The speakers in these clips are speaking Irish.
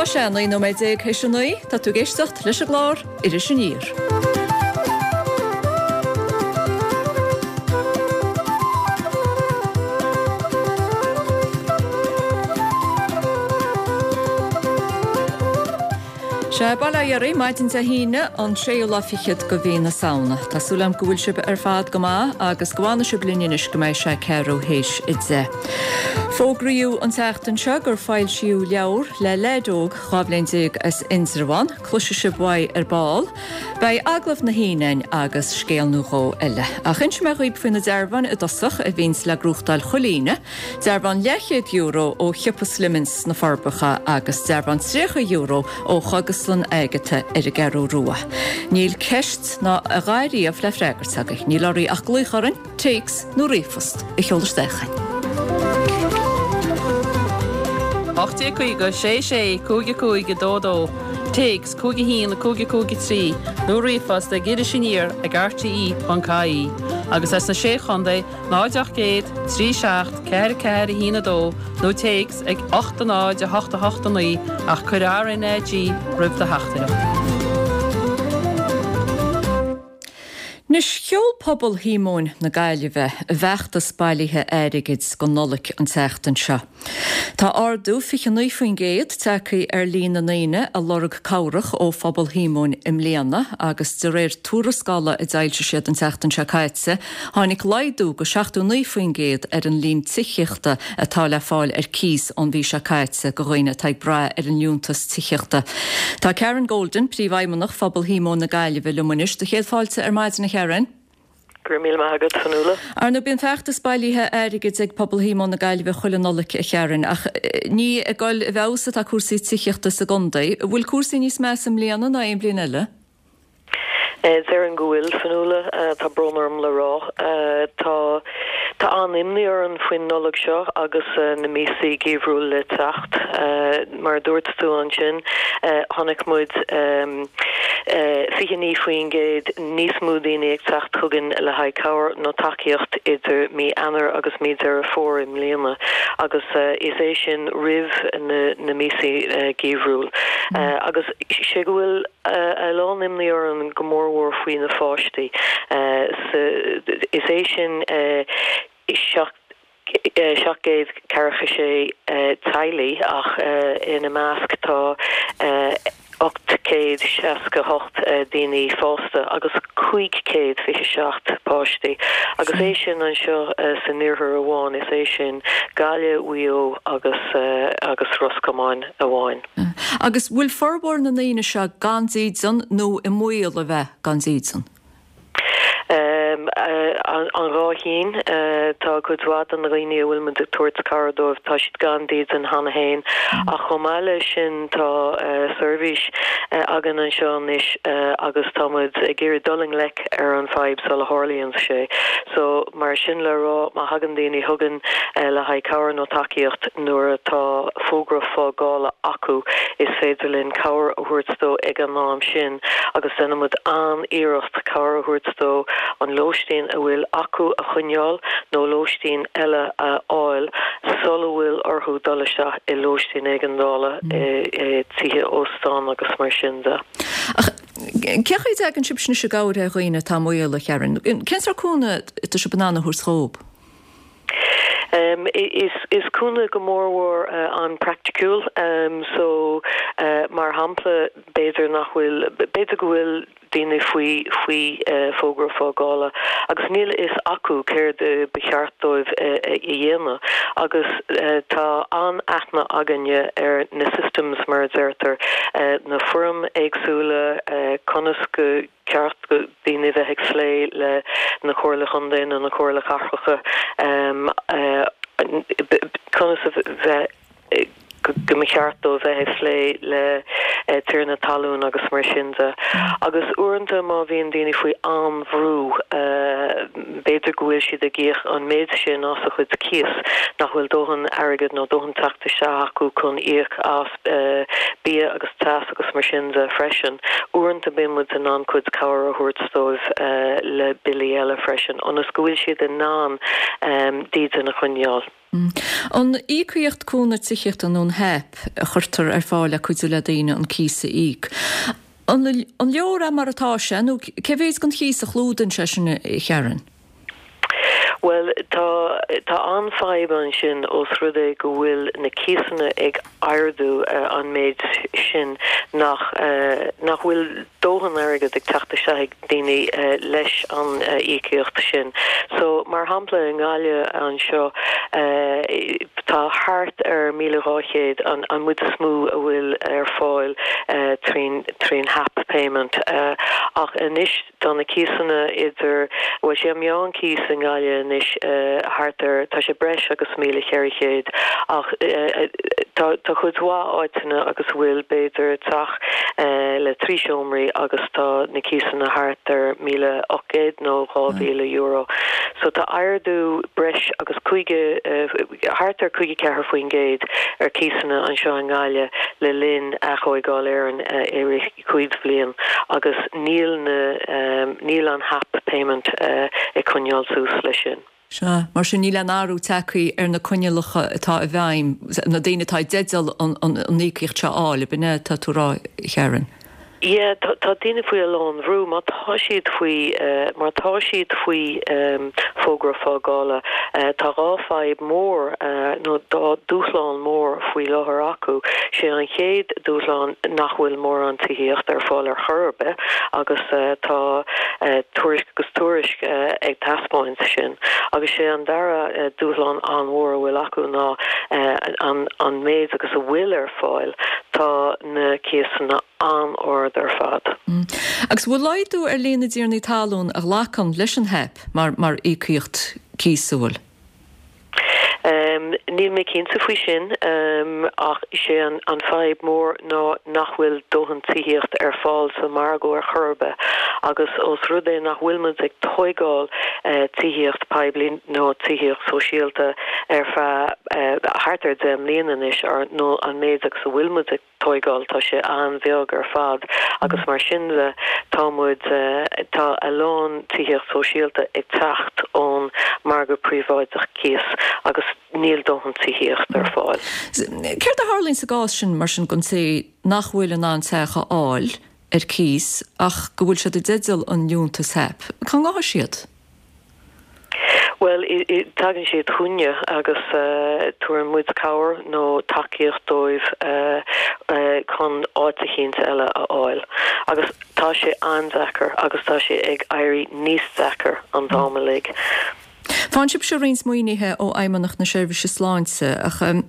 sé 19 nóiméad théis a 9, tá tú ag éisteacht leis an gclár Iris Aniar. Sea, bail ó Dhia oraibh, maidin Dé hAoine, an séú lá fichead de mhí na Samhna. Tá súil agam go bhfuil sibh ar fad go maith agus go bhfanfaidh sibh linn anois go mbeidh sé ceathrú théis a 10. Fógraíodh an tseachtain seo gur foilsíodh leabhar le leaid óg 12 bhliain as Indreabhán, cloisfidh sibh uaidh ar ball. Beidh agallamh na hAoine againn agus scéal nó dhó eile. Ach inseoidh mé dhaoibh faoi na dearbháin i dtosach a bhíonns le gnóthachtáil chuile Aoine. Dearbhán leathchéad euro ó shiopa Slimmins sna Forbacha agus dearbhán €30 ó Chógaslann Agatha ar an gCeathrú Rua. Níl ceist ná a dhath riamh le freagairt agaibh. Níl oraibh ach glaoch orainn, téacs nó ríomhphost a sheoladh isteach chugainn. 1850 6 6 5 5 2 2, téacs 5 1 5 5 3 nó ríomhphost ag irisaniar ag rte.ie agus as na Sé Chontae 0 800 3 7 4 4 1 2 nó téacs ag 8 0 8 8 9 ach cuir RnaG roimh do theachtaireacht. Anois, sheol Pobal Shíomóin na Gaillimhe a bhfeachtas bailithe airgid don Nollaig an tseachtain seo. Tá ardú 29% tagtha ar líon na ndaoine a lorg cabhrach ó Phobal Shíomóin i mbliana agus de réir tuarascála a d'fhoilsigh siad an tseachtain seo caite, tháinig laghdú go 79% ar an líon tithíochta atá le fáil ar cíos ón mhí seo caite go dhaoine atá ag brath ar an liúntas tithíochta. Tá Karen Golden, Príomhfheidhmeannach Phobal Shíomóin na Gaillimhe liom anois. Do chéad fáilte ar maidin a Karen. Go raibh míle maith agat, Fionnuala. Ar ndóigh, bíonn feachtas bailithe airgid ag Pobal Shíomóin na Gaillimhe chuile Nollaig, a Karen, ach ní ag dul i bhfeabhas atá cúrsaí tithíochta sa gcontae. An bhfuil cúrsaí níos measa i mbliana ná aon bhliain eile? Déarfainn go bhfuil, Fionnuala. Tá brón orm le rá. Tá tá an-imní orainn faoin Nollaig seo agus na míosaí geimhriúil le teacht. Mar a dúirt tú ansin, chonaic muid 29% níos mó daoine ag teacht chugainn le haghaidh cabhair nó tacaíocht idir mí Eanáir agus mí Deireadh Fómhair i mbliana, agus is é sin roimh na míosaí geimhriúil. Agus sé go bhfuil a lán imní orainn go mórmhór faoi na pháistí. Is é sin 746 teaghlaigh ach ina measc tá 868 daoine fásta agus 527 páistí agus é sin anseo san iarthar amháin, is é sin Gaillimh, Mhaigh Eo agus agus Ros Comáin amháin. Agus bhfuil formhór na ndaoine seo gan dídean nó i mbaol a bheith gan dídean? An dhá chinn. Tá cuid mhaith de na dhaoine a bhfuil muid ag tabhairt cabhair dóibh, tá siad gan dídean cheana féin. Ach chomh maith leis sin tá seirbhís againn anseo anois agus tá muid ag iarraidh dul i ngleic ar an fadhb sula tharlaíonn sé. So mar sin le rá, má thagann daoine chugainn le haghaidh cabhair nó tacaíocht nuair atá fógra fágála acu, is féidir linn cabhair a thabhairt dó ag an am sin. agus déanann muid an-iarracht cabhair a thabhairt dó an lóistín a bhfuil acu a choinneáil nó lóistín eile a fháil sula bhfuil orthu dul isteach i lóistín éigeandála, i tithe óstán agus mar sin de. Ach cén chaoi a dtagann sibhse anois i gcabhair ar dhaoine atá i mbaol, a Karen? Cén sórt cúnamh atá sibh in ann a thabhairt dhóibh? Is cúnamh go mórmhór an-praiticiúil. So, mar shampla, b'fhéidir nach bhfuil, b'fhéidir go bhfuil daoine faoi faoi fógra fágála agus níl a fhios acu céard ba cheart dóibh a dhéanamh agus tá an-aithne againne ar na systems mar a deirtear, na foirm éagsúla, conas go ceart do daoine bheith ag phlé le na Comhairle Chontae nó na Comhairle Cathracha, conas a bheith go mba cheart dóibh bheith ag phlé le tiarna talún agus mar sin de. Agus uaireanta má bhíonn daoine faoi an-bhrú, b'fhéidir go bhfuil siad ag íoc an méid sin as a chuid cíos nach bhfuil dóthain airgid nó dóthain teacht isteach acu chun íoc as bia agus teas agus mar sin de freisin. Uaireanta bíonn muid in ann cuid cabhair a thabhairt dóibh le billí eile freisin ionas go bhfuil siad in ann dídean a choinneáil. An íocaíocht cúnamh tithíochta nó an HAP a chuirtear ar fáil le cuidiú le daoine an cíos a íoc, an leor é mar atá sé nó cé mhéid den chíos a chlúdaíonn sé sin, a Sharon? Bhuel, tá, tá an-fhadhb ansin ós rud é go bhfuil na cíosanna ag ardú an méid sin nach, nach bhfuil dóthain airgead ag teacht isteach ag daoine leis an íocaíocht sin. So, mar shampla, i nGaillimh anseo, tá thart ar 1,200 an an méid is mó a bhfuil ar fáil trín trín HAP payment ach anois, Tá na cíosanna idir, bhuel, sé an meán cíos i nGaillimh anois thart ar, tá sé breis agus 1,400 ach tá tá cuid mhaith áiteanna agus a bhfuil b'fhéidir teach le 3 seomraí agus tá na cíosanna thart ar 1,800 nó €2,000. So tá ardú breis agus 50, thart ar 54% ar cíosanna anseo i nGaillimh le linn Aththóigeáil Éireann i rith 5 bhliain agus níl na, níl an HAP payment ag coinneáil suas leis sin. Sea, mar sin níl aon athrú tagtha ar na coinníollacha atá i bhfeidhm, na daoine atá i dteideal an íocaíocht seo a fháil, ab in é atá tú a rá, a Sharon? Yeah, tá tá daoine faoi a lán bhrú má tá siad faoi, má tá siad faoi fógra fágála. Tá dhá fadhb mór nó dhá dúshlán mór faoi láthair acu. Sé an chéad dúshlán nach bhfuil mórán tithíochta ar fáil ar chor ar bith agus tá tuairisc agus tuairisc ag taispeáint sin. Agus sé an dara dúshlán an-mhór a bhfuil acu ná an méid agus a bhfuil ar fáil, tá na cíosanna an-ard ar fad. Agus bhfuil laghdú ar líon na dtiarnaí talún a ghlacann leis an HAP mar íocaíocht cíosa, bhfuil? Níl mé cinnte faoi sin, ach is é an fadhb mór ná nach bhfuil dóthain tithíocht ar fáil sa margadh ar chor ar bith agus ós rud é nach bhfuil muid ag tóigeáil tithíocht poiblí nó tithíocht sóisialta ar feadh thart ar 10 mbliana anois nó an méid agus a bhfuil muid ag tóigeáil, tá sé an-bheag ar fad agus mar sin de tá muid, tá a lán tithíocht sóisialta ag teacht ón margadh príobháideach cíos agus níl dóthain tithíocht ar fáil. Céard a tharlaíonn sa gcás sin mar sin don té nach bhfuil in ann teach a fháil ar cíos ach go bhfuil siad i dteideal an liúntas HAP? Cá ngabhfaidh siad? Bhuel, tagann siad chugainne agus tabharann muid cabhair nó tacaíocht dóibh chun áit eicínt eile a fháil. Agus tá sé an-deacair agus tá sé ag éirí níos deacair an t-am uilig. Faigheann sibhse roinnt maoinithe ó Fheidhmeannacht na Seirbhíse Sláinte, ach an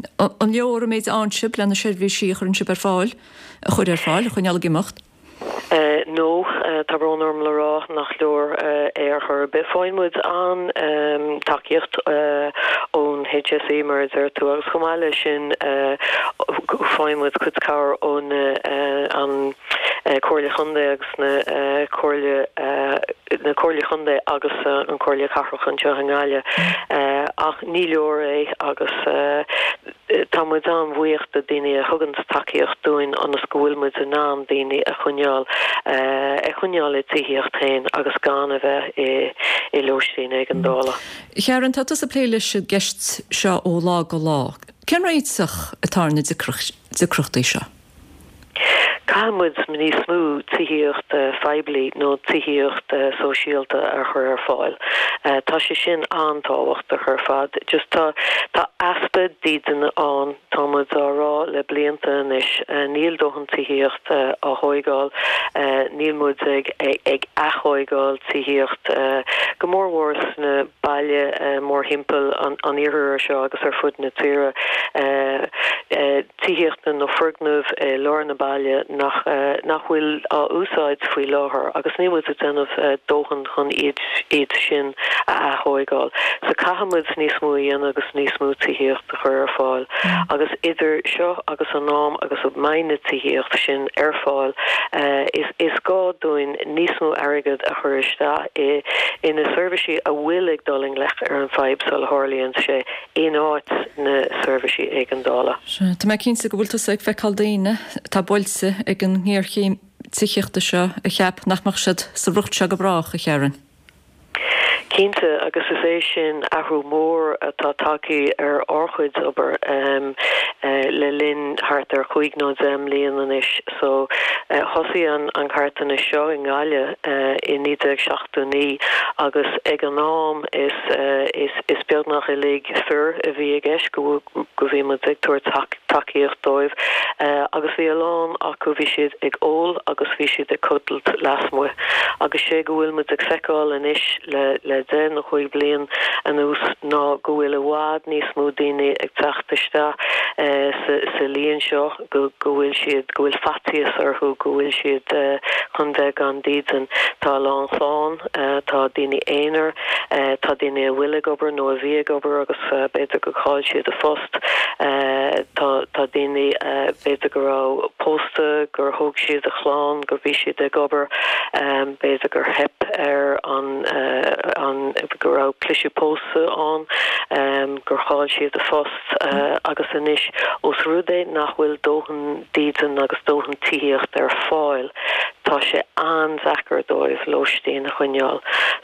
leor an méid a fhaigheann sibh le na seirbhísí a chuireann sibh ar fáil, a chur ar fáil, a choinneáil ag imeacht? No, tá brón orm le rá nach leor é ar chor ar bith. Faigheann muid an-tacaíocht ón HSE, mar a deir tú, agus chomh maith leis sin faigheann muid cuid cabhair ón an Comhairle Chontae agus na Comhairle na Comhairle Chontae agus an Comhairle Cathrach anseo i nGaillimh. Ach ní leor é agus. Tá muid an-bhuíoch de daoine a thuganns tacaíocht dúinn ionas go bhfuil muid in ann daoine a choinneáil a choinneáil i dtithíocht féin agus gan a bheith i i lóistín éigeandála. Sharon, tá tusa ag plé leis an gceist seo ó lá go lá. Cén réiteach atá ar na deacrachtaí seo? Caithfidh muid níos mó tithíocht phoiblí nó tithíocht sóisialta a chur ar fáil. Tá sé sin an-tábhachtach ar fad. Just tá tá easpa dídine ann, tá muid á rá le blianta anois. Níl dóthain tithíocht á thóigeáil, níl muid ag ag aththóigeáil tithíocht, go mór mhór sna baile mórthimpeall an iarthair seo agus ar fud na tíre. tithíochta nó foirgnimh i lár na baile nach nach bhfuil á úsáid faoi láthair agus níl muid ag déanamh dóthain chun iad iad sin a aththóigeáil. So caithfidh muid níos mó a dhéanamh agus níos mó tithíocht a chur ar fáil agus idir seo agus an am agus a mbeidh na tithíocht sin ar fáil is is gá dúinn níos mó airgead a chur isteach i i na seirbhísí a bhfuil ag dul i ngleic ar an fadhb sula tharlaíonn sé. in áit na seirbhísí éigeandála. Sea, tá mé cinnte go bhfuil tusa ag feiceáil daoine atá buailte ag an ngéarchéim tithíochta seo a cheap nach mbeadh siad sa riocht seo go brách, a Sharon. Cinnte, agus is é sin athrú mór atá tagtha ar ár chuid obair le linn thart ar chúig nó deich mbliana anois. So, thosaigh an carthanas seo i nGaillimh i 1979 agus ag an am is is beagnach uilig fir a bhí i gceist go go bhí muid ag tabhairt tacaíocht dóibh agus bhí a lán acu, bhí siad ag ól agus bhí siad ag codlait lasmuigh. Agus sé go bhfuil muid ag feiceáil anois le le deich nó chúig bliain anuas ná go bhfuil i bhfad níos mó daoine ag teacht isteach sa sa líon seo, go go bhfuil siad, go bhfuil faitíos orthu, go bhfuil siad chun bheith gan dídean. Tá a lán clann, tá daoine aonair, tá daoine a bhfuil ag obair nó a bhí ag obair agus b'fhéidir gur chaill siad a phost. Tá tá daoine b'fhéidir go raibh pósta, gur thóg siad a chlann, gur bhí siad ag obair, b'fhéidir gur theip ar an an go raibh cliseadh pósadh ann, gur chaill siad a phost. Agus anois, ós rud é nach bhfuil dóthain dídean agus dóthain tithíocht ar fáil, tá sé an-deacair dóibh lóistín a choinneáil.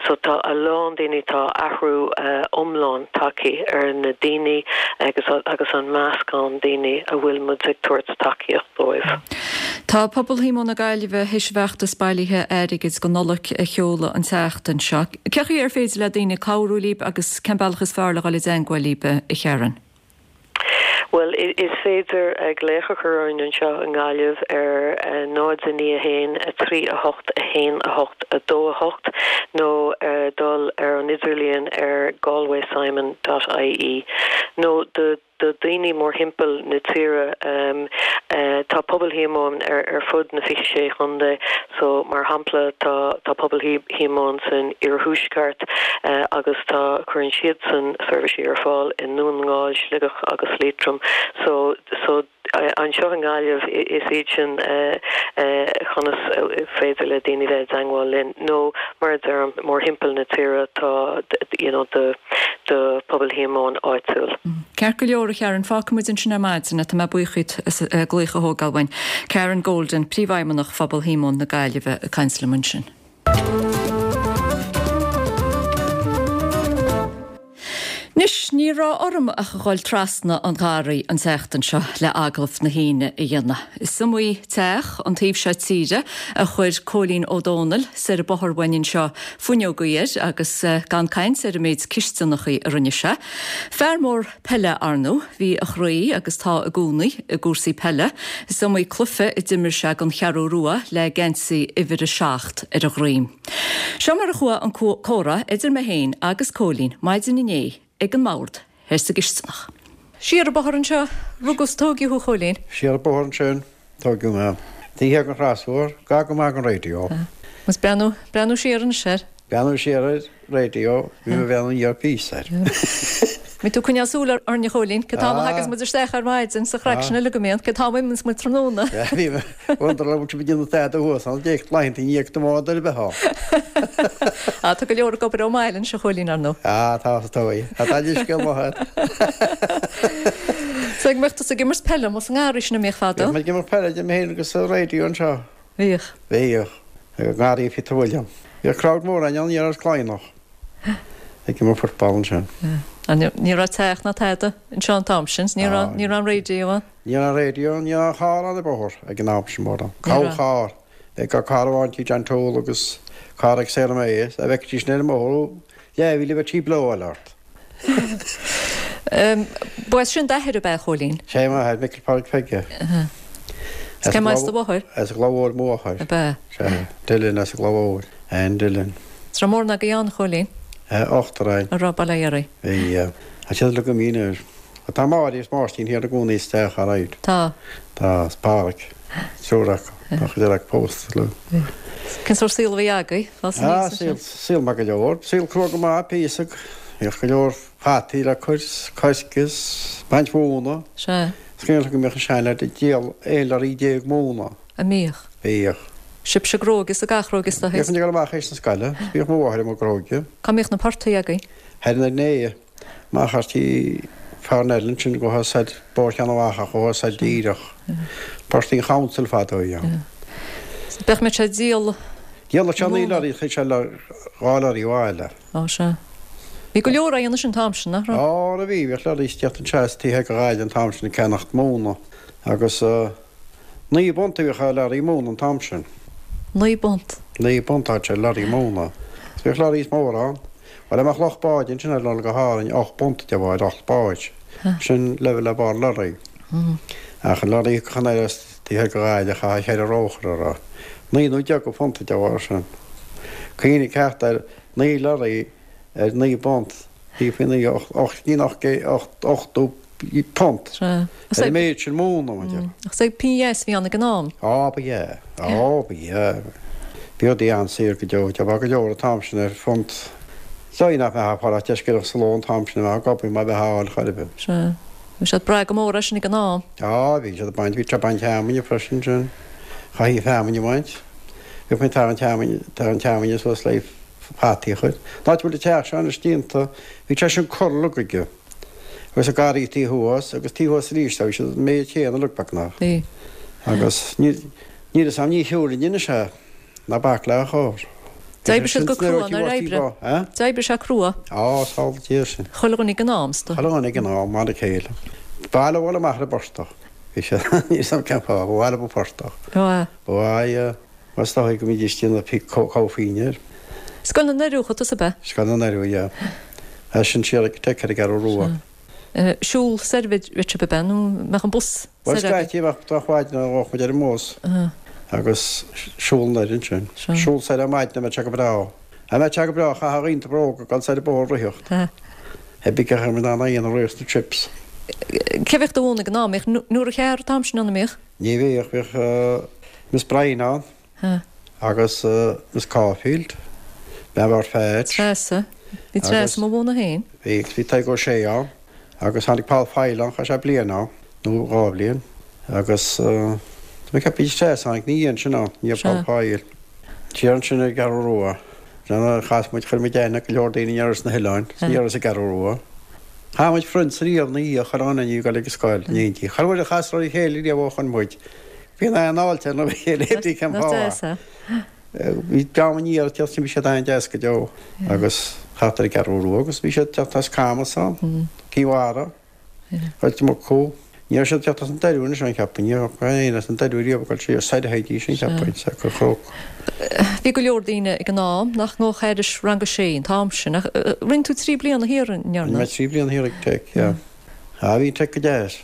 So tá a lán daoine, tá athrú iomlán tagtha ar na daoine agus agus an meascán daoine a bhfuil muid ag tabhairt tacaíocht dóibh. Tá Pobal Shíomóin na Gaillimhe théis a bhfeachtas bailithe airgid don Nollaig a sheoladh an tseachtain seo. Cén chaoi ar féidir le daoine cabhrú libh agus cén bealach is fearr le dhul i dteangmháil libh, a Sharon? Bhuel, is féidir glaoch a chur orainn anseo i nGaillimh ar 0 9 1 3 8 1 8 2 8 nó dul ar an idirlíon ar galwaysimon dot ie nó do do dhaoine mórthimpeall na tíre. Tá Pobal Shíomóin ar fud na 26 chontae so mar shampla tá tá Pobal Shíomóin san iarthuaisceart agus tá cuireann siadsan seirbhísí ar fáil i nDún na nGall, Sligeach agus Liatroim so so anseo i nGaillimh is iad sin conas is féidir le daoine bheith i dteangmháil linn nó mar a deirim mórthimpeall na tíre tá you know do do Pobal Shíomóin áitiúil. Ceart go leor, a Sharon, fágfaidh muid ansin ar maidin é. Tá mé buíoch díot as glaoch a thógáil uainn. Karen Golden, Príomhfheidhmeannach Phobal Shíomóin na Gaillimhe ag caint liom ansin. Anois, ní raibh orm ach a dhul trasna an gharraí an tseachtain seo le agallamh na hAoine a dhéanamh. Is iomaí teach an taobh seo tíre a chuir Cóilín Ó Dónaill soir an bóthar uainn anseo fuinneogaí air agus gan caint ar an méid cisteanachaí a rinne sé. Fear mór peile ar ndóigh, bhí a chroí agus tá i gcónaí i gcúrsaí peile. Is iomaí cluiche a d'imir sé don Cheathrú Rua le geansaí uimhir a 7 ar a dhroim. Seo mar a chuaigh an comhrá idir mé féin agus Cóilín maidin inné ag an mbord thoir sa gcisteanach. Siar an bóthar anseo, rugadh 's tóigeadh thú, a Chóilín. Siar an bóthar ansin, tóigeadh mé. Taobh thiar den chrosbhóthar, gar go maith don raidió. Agus breathnú, breathnú siar anois air. Breathnú siar ar raidió, bhí mé ag breathnú aniar píosa air. Bhí tú ag coinneáil súil orainn a Chóilín, cén t-am a thagas muid isteach ar maidin sa chraic sin uilig go mbíonn, cén t-am a imíonns muid tráthnóna. Bhí mé ag wonder an bhfuil sibh ag déanamh tada thuas ann, d'éag laethanta i ndiaidh do bhád ar bith ann. Á, tá go leor ag obair ón mbaile anois a Chóilín, ar ndóigh. Á, tá, is dóigh. Tá taille scéal maith agat. So an mbeadh tusa ag imirt peile amuigh sa ngarraí sin a mbíodh fadó? Bhíodh muid ag imirt peile, idir mé féin agus an raidió anseo. Bhíodh. Bhíodh. I ngarraí Peter William. Bhíodh crowd mór ann, ní raibh Cladhnach ag imirt football ansin. Ní raibh teach ná tada anseo an t-am sin, ní raibh ní raibh an raidió ann. Ní raibh an raidió ann, ní raibh aon charr ar an bhóthar ag an am sin mórán. Corrcharr. Bheadh carr amháin tigh John Toal agus carr ag Sarah May, a bhfeicfidís sin ar an mbóthar leathmhíle bheadh sí blow-áil ort. Ba as sin d'athair ab ea, a Chóilín? Sé m'athair, Micil Phádraig Pheige. Is cé as do mháthair? As an gCloich Mhóir mo mháthair. Ab ea? Sea, Dillon as an gCloich Mhóir. Ann Dillon. Is raibh mórán agaibh ann, a Chóilín? Ochtar againn. A raibh, bail ó Dhia oraibh. Bhí. Tá siad uilig imithe anois. Tá Máire is Máirtín thiar ina gcónaí sa teach alright. Tá. Tá, is Pádraig. Triúr acu. Tá cuid eile acu pósta le. Cén sórt saol a bhí agaibh? Fás aníos Ah, saol, saol maith go leor. Saol crua go maith, píosa. Bhíodh go leor fataí le cur, coisc is baint mhóna. Sea. Is cuimhin liom go mbíodh an seanleaid ag díol 11 lorry móna. An mbíodh? Bhíodh. Sibhse ag gróigeadh is ag athghróigeadh is Bhíodh muid ag dul amach théis na scoile. Bhíodh mo mháthair i mo ghróigeadh. Cá mbíodh na portaigh agaibh? Thoir in Arnae. Amach thar tí Pharnell ansin gabhtha soir Bóthar Cheann Mhacha gabhtha soir díreach. Portaigh an Chouncil fadó a bhí ann. Bheadh muid ag díol. Dhíoladh sé 9 lorry, chaith sé 2 lorry abhaile. Ó sea. Bhí go leor á dhéanamh sin an t-am sin, nach raibh? Ó bhí, bhíodh lorraí ag tíocht anseo as taobh thoir de Ghaillimh an t-am sin ag ceannacht móna agus 9 bpunt a bhíodh ar lorry móna an t-am sin. 9 bpunt? 9 bpunt a bhíodh ar lorry móna. Agus bhíodh lorraí móra ann. Bhuel, dá mbeadh lucht báid ansin ar dhul go hÁrainn, 8 bpunt a gheofá ar lucht báid. Sin level le barr lorry. Ach an lorry a thiocfadh anoir as taobh thoir de Ghaillimh, chaithfeá cheithre róchur orthu. 9 nó 10 de phunta a gheofá air sin. Cuimhnigh ceart air, 9 lorry ar 9 bpunt, bhí faoi 9, 8, 80 punt. Sea. Ar an méid sin móna, mar deir. Ach is é pingin dheas a bhí ann ag an am. Á, ba ea. Á, ba ea. Bhí rudaí an-saor go deo. Gheofá go leor an t-am sin ar phunt. Is dóigh nach mbeifeá ag fáil ach deisceoireacht sa ló an t-am sin a bheifeá ag obair má bheifeá á fháil chor ar bith. Sea. Bhí siad ag brath go mór air sin ag an am. Á, bhí siad ag baint, bhí siad ag baint feamainne freisin sin. Chaithfí feamainn a bhaint. Bhíodh muid ag tarraingt feamainn, tarraingt feamainne suas le fataí a chur. An áit a bhfuil an teach seo anois déanta, bhí sé sin corr uilig. Agus an garraí taobh thuas agus taobh thuas arís, bhí siad an méid chéanna uilig beagnach. Bhí. Agus níl níl fhios a'm, ní shiúlfainn anois é, ná bac le charr. D'oibrigh siad go crua an uair oibre. D'oibrigh sé crua. Á, samhlaigh Dia sin. Chuile dhuine ag an am, is dóigh. Chuile dhuine ag an am, mar a chéile. Ba mhaith leo dhul amach ar an bportach. Bhí sé, níl fhios a'm cén fáth, ba mhaith leo an portach. Ó, ea. Ba mhaith, Is dóigh go mbídís ag déanamh comhphínn air. Scoil na nDoiriú, chuaigh tusa, ab ea? Scoil na nDoiriú, yeah. As sin siar ag Tech ar an gCeathrú Rua. Siúl soir a bheadh sibh, ab ea? Nó mbeadh an bus Bhuel, soir agaibh? scaití bheadh drochmhaidin ann ghabhadh muid ar an mbus agus siúl anoir ansin. Siúl soir ar maidin dá mbeadh sé go breá. Dá mbeadh sé go breá chaithfeá a ghrianta bróga ag dul soir an bóthar ag ritheacht. Pé bith cén chaoi a mbeadh in ann a dhéanamh riamh sna trips. Cé bheadh do mhúineadh ag an am? Mbíodh Nóra Chearr an t-am sin ann, an mbíodh? Ní bhíodh, bhíodh Miss Bryan ann agus Miss Caulfield, bean Bheáir Pheaits. Treasa. Bhí Treasa mo mhúineadh féin. Bhí, agus bhí Tadhg Ó Sé ann agus tháinig Paul Foyle ann, chaith sé bliain ann, nó dhá bhliain, agus tá mé ag ceapadh bhí Treasa tháinig ina dhiaidh sin ann, i ndiaidh Paul Foyle. Siar ansin ar an gCeathrú Rua. Chas muid, chuir muid aithne ar go leor daoine aniar as na hoileáin, is aniar as an gCeathrú Rua. Chaith muid friends riamh ina dhiaidh, chuile dhuine ag dul ag an scoil in éindí. Chuile uair a chasadar ar a chéile riamh ó shoin muid, bhí an an-fháilte ar a chéile pé brí cén fáth. Bhí dream aniar ag teacht, bhí siad an-deas go deo agus thart ar an gCeathrú Rua agus bhí siad ag teacht as Camas ann, Cinn Mhara. Chuid acu. Ní raibh siad ag teacht as an Doiriú anois cheapfainn. Ní raibh éinne as an Doiriú riamh ag dul siar soir a théidís cheapfainn, sa go Chnoc. Bhí go leor daoine ag an am nach ngabhadh thairis rang a sé an t-am sin. Ach rinne tú trí bliana thiar, an ndearna? Rinne mé trí bliana thiar ag Tech, yeah. Ah, bhí Tech go deas.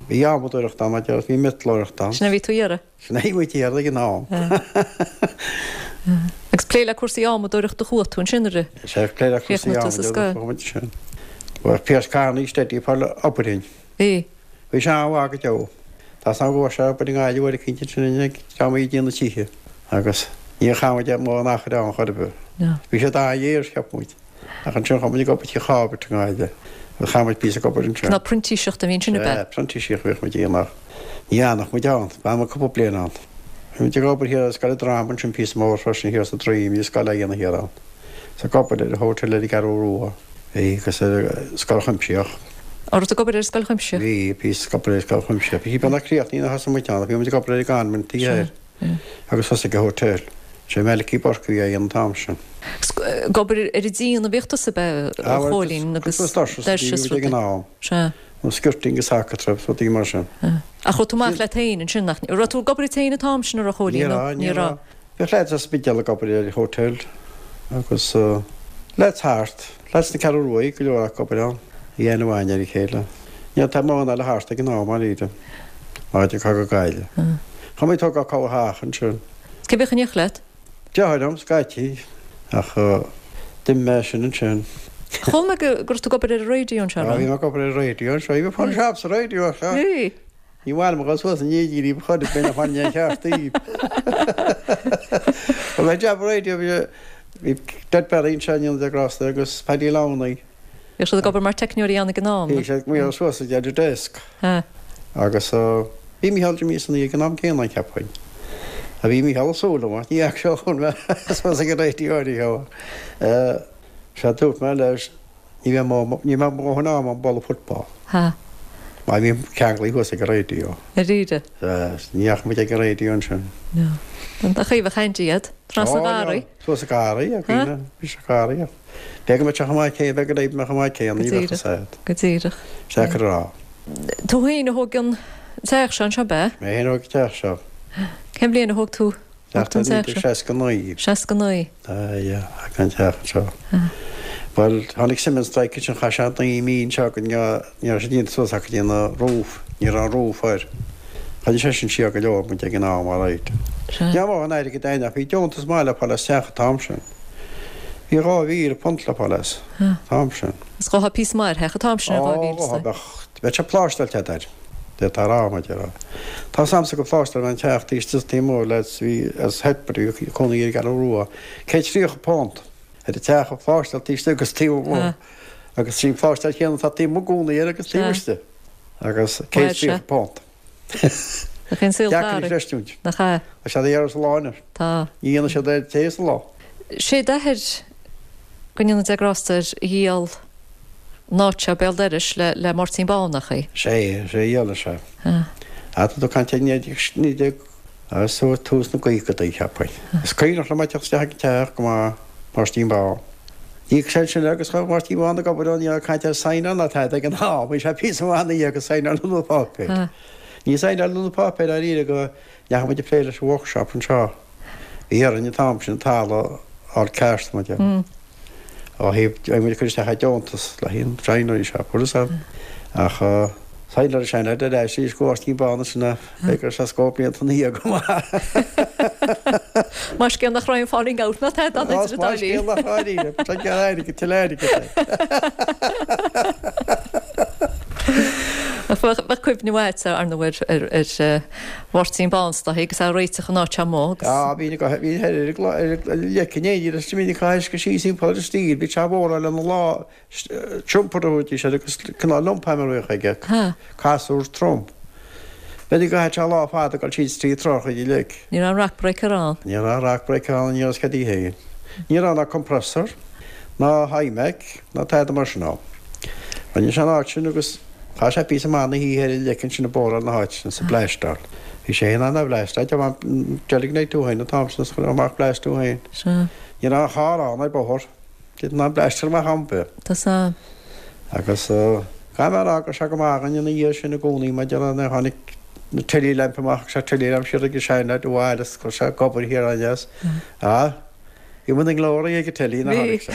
Bhí adhmadóireacht ann, mar a déarfá, bhí miotalóireacht ann. Sin a bhí tú a iarraidh? Sin é a bhí muid a iarraidh ag an am. Agus plé le cúrsaí adhmadóireachta a chuaigh tú ansin nuair a Sea, plé le cúrsaí chríochnaigh tú sa adhmadóireachta scoil. a chuaigh muid ansin. Bhuel, Pearse Kearney steady ag fáil obair dhúinn. Bhí. Bhí sé an-mhaith go deo. Tá 's agam go bhfuair sé obair i nGaillimh uair eicínt ansin ag dream a bhí ag déanamh tithe. Agus níor chaith muid mórán achair ann chor ar bith. Bhí siad an-ghéar, cheap muid. Ach ansin chuaigh muid ag obair Tigh Chábert i nGaillimh agus chaith muid píosa ag obair ansin. Cineál printíseacht a bhí ansin, ab ea? Sea, printíseacht a bhíodh muid a dhéanamh ach ní fhanadh muid ann. D'fhan muid cúpla bliain ann. Bhí muid ag obair thiar ar Scoil an Droma ansin píosa mór freisin thiar sa Droim, bhí scoil á dhéanamh thiar ann. Is ag obair ar an hotel ar an gCeathrú Rua, bhí, agus ar an Scoil Chuimsitheach. An raibh tú ag obair ar an Scoil Chuimsitheach? Bhí, píosa ag obair ar an Scoil Chuimsitheach. Bhí sí beagnach críochnaithe nuair a thosaigh muid ann ach bhí muid ag obair ar an gconvent thiar. Agus thosaigh an hotel. Sé Malachy Burke a bhí á dhéanamh an t-am sin. Ag obair ar an díon a bhíodh tusa, ab ea, a Chóilín, agus doirse is rudaí. Ag an am. Sea. Nó skirting agus alcatraz, rudaí mar sin. Ach raibh tú amach leat féin ansin, nach raibh tú ag obair duit féin an t-am sin, an raibh, a Chóilín? Ní raibh, ní raibh. Bhíodh lads as Spidéal ag obair ar an hotel agus lads thart, lads na Ceathrú Rua, go leor acu ag obair ann. Bhí aithne mhaith againn ar a chéile. Ní raibh mórán eile thart ag an am, dáiríre. Áit acu go Gaillimh. Chuaigh mé ag tógáil corrtheach ansin. Cé a bhíodh in éineacht leat? Deartháir liom, scaití, ach d'imigh mé sin ansin. Chuala mé go raibh tú ag obair ar an raidió anseo, an raibh? Bhí mé ag obair ar an raidió anseo. Bhí mé ag fáil jab sa raidió anseo. Bhí. Ní mhaith liom a dhul suas an éidín riamh chor ar bith nach bhfaigheann aon cheart daoibh. Bhí mé jab raidió, bhí Ned Barry anseo in Ionad na Grásta agus Paddy Lowney. Bhíodh siad ag obair mar teicneoirí ann ag an am. Bhí siad ag maoradh suas ag an desk. Agus bhí Mícheál Jimí Sonaí ag an am céanna, cheapfainn. A bhí Mícheál ag súil liom ach ní fhaca sé ó chuir mé suas ag an raidió ariamh. Sea, dúirt mé leis, ní bheidh mo, ní bheidh mo dhóthain ama a'm bualadh football. Má bhí ceanglaithe thuas ag an raidió. Dáiríre. Sea, ní fhaca muid ag an raidió ansin. No. An chaoi a bheadh Andy iad? Trasna an gharraí? Suas an garraí, a dhaoine, bhí sé garraí. B'fhéidir go mbeadh sé chomh maith céanna, b'fhéidir go mbeadh chomh maith céanna, ní bheadh fhios agat. Go díreach. Deacair a rá. Tú féin a thóg an teach seo anseo, ab ea? Mé féin a thóg an teach seo. Cén bhliain a thóg tú an teach seo? 1969. 69. Aye, thóg an teach anseo. Bhuel, tháinig cement strike ansin, chaith sé 9 mí anseo go ní raibh sé déanta suas acu go dtí an roof, ní raibh an roof air. Choinnigh sé sin siar go leor muid ag an am, alright. Ní raibh mórán airgid againn ach bhí deontas maith le fáil as teach an t-am sin. Bhí £2,000 le fáil as an t-am sin. Is gheofá píosa maith ar theach an t-am sin ar 2,000 Ó, bheadh, bheadh sé pláisteáilte agat air. D'fhéadfá a rá, mar a déarfá. Tá 's a'msa gur phláisteáil mé an teach taobh istigh is taobh amuigh le bhí as Headbury a bhí cónaí ar an gCeathrú Rua, £130 ar an teach a phláisteáil taobh istigh agus taobh amuigh agus sí an phláisteáil chéanna atá taobh amuigh i gcónaí air agus taobh istigh agus £130. Nach é an saol Deacair a chreistiúint. Nach ea? Tá siad a iarraidh sa lá anois. Tá. Ní dhéanann siad air tae sa lá. Sé d'athair, go ndéana Dia grásta air, a dhíol an áit seo béal dorais le le Máirtín Bán, nach é? Sé, sé a dhíol leis é. Tá tú ag caint ar 19, agus tús na gcaogadaí, cheapfainn. Is cuimhneach liom ag teacht isteach ag an teach go maith, Máirtín Bán. D'íoc sé ansin agus chuaigh Máirtín Bán ag obair ann, ní raibh caint ar saighneáil ná tada ag an am, bhí sé píosa maith ina dhiaidh gur saighneáladh na páipéir. Ní saighneáladh na páipéir dáiríre go ndeachaigh muid ag plé leis an workshop anseo. Bhí orainn an t-am sin an talamh a fháil ceart, mar a déarfá. Ó thaobh, bhí muid ag cur isteach ar deontas le haghaidh an joinery shop, bhfuil fhios a'd. Ach saighneáil sé an ar ais arís go Máirtín Bán ansin a bheidh ar sé scór blianta ina dhiaidh go maith. Maith scéal nach raibh aon falling out ná tada ann idir an dá linn. Maith scéal nach raibh dáiríre, tá gearr airgid, tuilleadh airgid é. Ach bheadh cuimhne mhaith agat ar ndóigh ar Mháirtín Bán is dóigh agus é ag réiteach an áit seo amuigh agus. Á, bhí na, bhí ar ar leic in éindí leis, bhí na caisce síos timpeall ar an stíl, bhí sé á bhóráil lena lá, Trumper a thabharfaidís air agus cineál lump hammer a bhíodh aige, casúr trom. B'fhéidir go gcaithfeadh sé lá fada ag dul síos trí troigh uilig. Ní raibh an rock breaker ann. Ní raibh an rock breaker ann, ní raibh cad í féin. Ní raibh ná compressor, ná iMac, ná tada mar sin ann. Rinne sé an áit sin agus chaith sé píosa maith na hoíche ar an leic ansin ag bóráil na háite sin is ag bleaisteáil. Bhí sé féin in ann a bhleaisteáil, deilgnigh tú féin an t-am sin is chuir amach bleaist tú féin. Sea. Ní raibh aon charr ann ar bóthar. Did ná bleaisteáil amach am bith. Tá sa. Agus caithfidh mé a rá go raibh sé go maith againn ina dhiaidh sin i gcónaí maidir le nuair a tháinig na telly lamp amach agus sé telly lamp siar ag an seanleaid abhaile is chuir sé ag obair thiar aneas. Ah, bhí muid i nglóry ag an telly nuair a tháinig sé.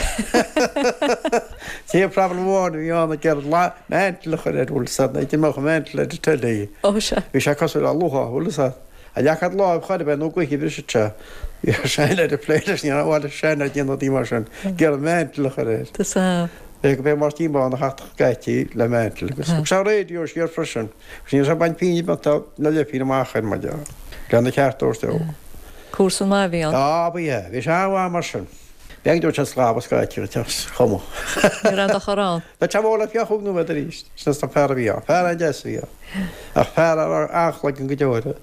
Sé an problem amháin a bhí ann ag iarraidh mantle a chur air, bhfuil fhios a'd, ní mbeadh an mantle ar an telly. Ó sea. Bhí sé cosúil le luaith, bhfuil fhios a'd. A leac láimh chor ar bith nó gaoth a bhrisfeadh sé. Bhí ar seanleaid ag plé leis, ní raibh mhaith le seanleaid déanamh rudaí mar sin, ag iarraidh mantle a chur air. Tá sa. B'é go b'é Máirtín Bán a theachtadh scaití le mantle agus thug sé raidió siar freisin agus ní raibh sé ag baint pínne beag na leithphínn amach air mar dhea, lena cheart a thabhairt dó. Comharsan maith a bhí ann. Á, ba ea, bhí sé an-mhaith mar sin. B'éigean dó sé sclábh a scaití an teach chomh maith. Ní raibh aon dochar ann. Bheadh sé mhór le fiach nóiméad arís. Sin is an fear a bhí ann. Fear an-deas a bhí ann. Ach fear a raibh an-chloigeann go deo air.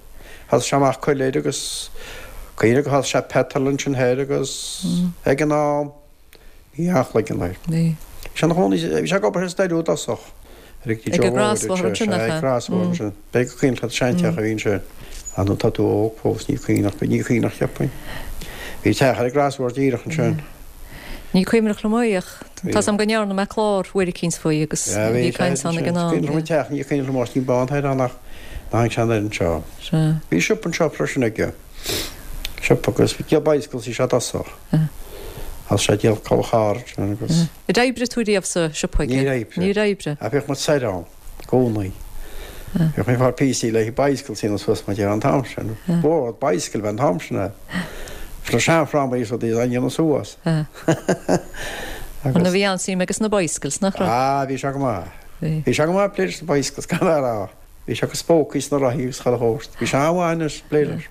Thosaigh sé amach coiléir agus cuimhne gur thosaigh sé petrol ansin thoir agus ag an am bhí an-chloigeann air. Bhí. Bhí sé ina chónaí, bhí sé ag obair sa Steiriú i dtosach. Ar ag Joe Ag an ansin, nach ea? Ag crosbhóthar ansin. B'fhéidir gur cuimhneach leat an seanteach a bhí ansin. Ah nó tá tú óg fós, ní cuimhneach, ní cuimhneach cheapfainn. Bhí teach ar an gcrosbhóthar díreach ansin. Ní cuimhneach liom é ach tá 's a'm go ndearna mé clár uair eicínt faoi agus bhí caint ann ag an am. Cuimhneach liom an teach, ní cuimhneach liom Máirtín Bán thoir ann ach tháinig sé anoir anseo. Sea. Bhí siopa anseo freisin aige. Siopa agus díol bicycles bhí sé i dtosach. Thosaigh sé ag díol culaith charr ansin agus. Ar oibrigh tú riamh sa siopa aige? Níor oibrigh. Níor oibrigh. Ach bhíodh muid soir ann i gcónaí. Bhíodh mé ag fáil píosaí le haghaidh bicycles a dhéanamh suas mar dhea an t-am sin. Bord bicycle an t-am sin é. Sna seanfhrámaí is rudaí a dhéanamh suas. Agus. Bhí an-suim aige sna bicycles, nach raibh? Ah, bhí sé go maith. Bhí. Bhí sé go maith ag plé leis na bicycles, caithfidh mé a rá. Bhí sé acu spócaí sna rothaí agus chuile shórt. Bhí sé an-mhaith anois ag plé leis.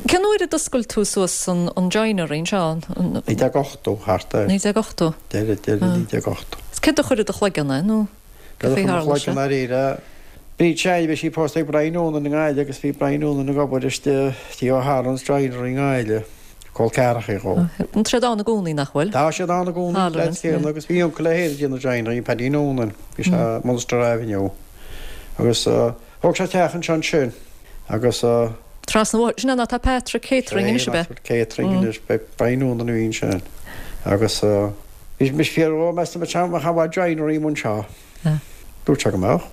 Cén uair a d'oscail tú suas an joinery anseo? 1980, thart air. 1980? Deireadh, deireadh 1980. Is céard a chuir i do chloigeann é, nó cad faoi tharla sé? Dáiríre, Bríd Seánie, bhí sí pósta ag Brian Noonan i nGaillimh agus bhí Brian Noonan ag obair istigh tí O'Halloran's Joinery i nGaillimh, col ceathracha dhó. Tá siad ann i gcónaí, nach bhfuil? Tá siad ann i gcónaí, leaids céanna, agus bhí uncail é féin ag déanamh joinery, Paddy Noonan, bhí sé Munster Avenue. Agus thóg sé teach anseo ansin agus. Trasna an bhóthair, sin an áit atá Patrick Catering anois, ab ea? Patrick Catering anois, beidh Brian Noonan a bhí ansin. Agus bhí mise ag fiafraí dhó, meas tú an mbeadh joinery amuigh anseo? Dúirt sé go mbeadh.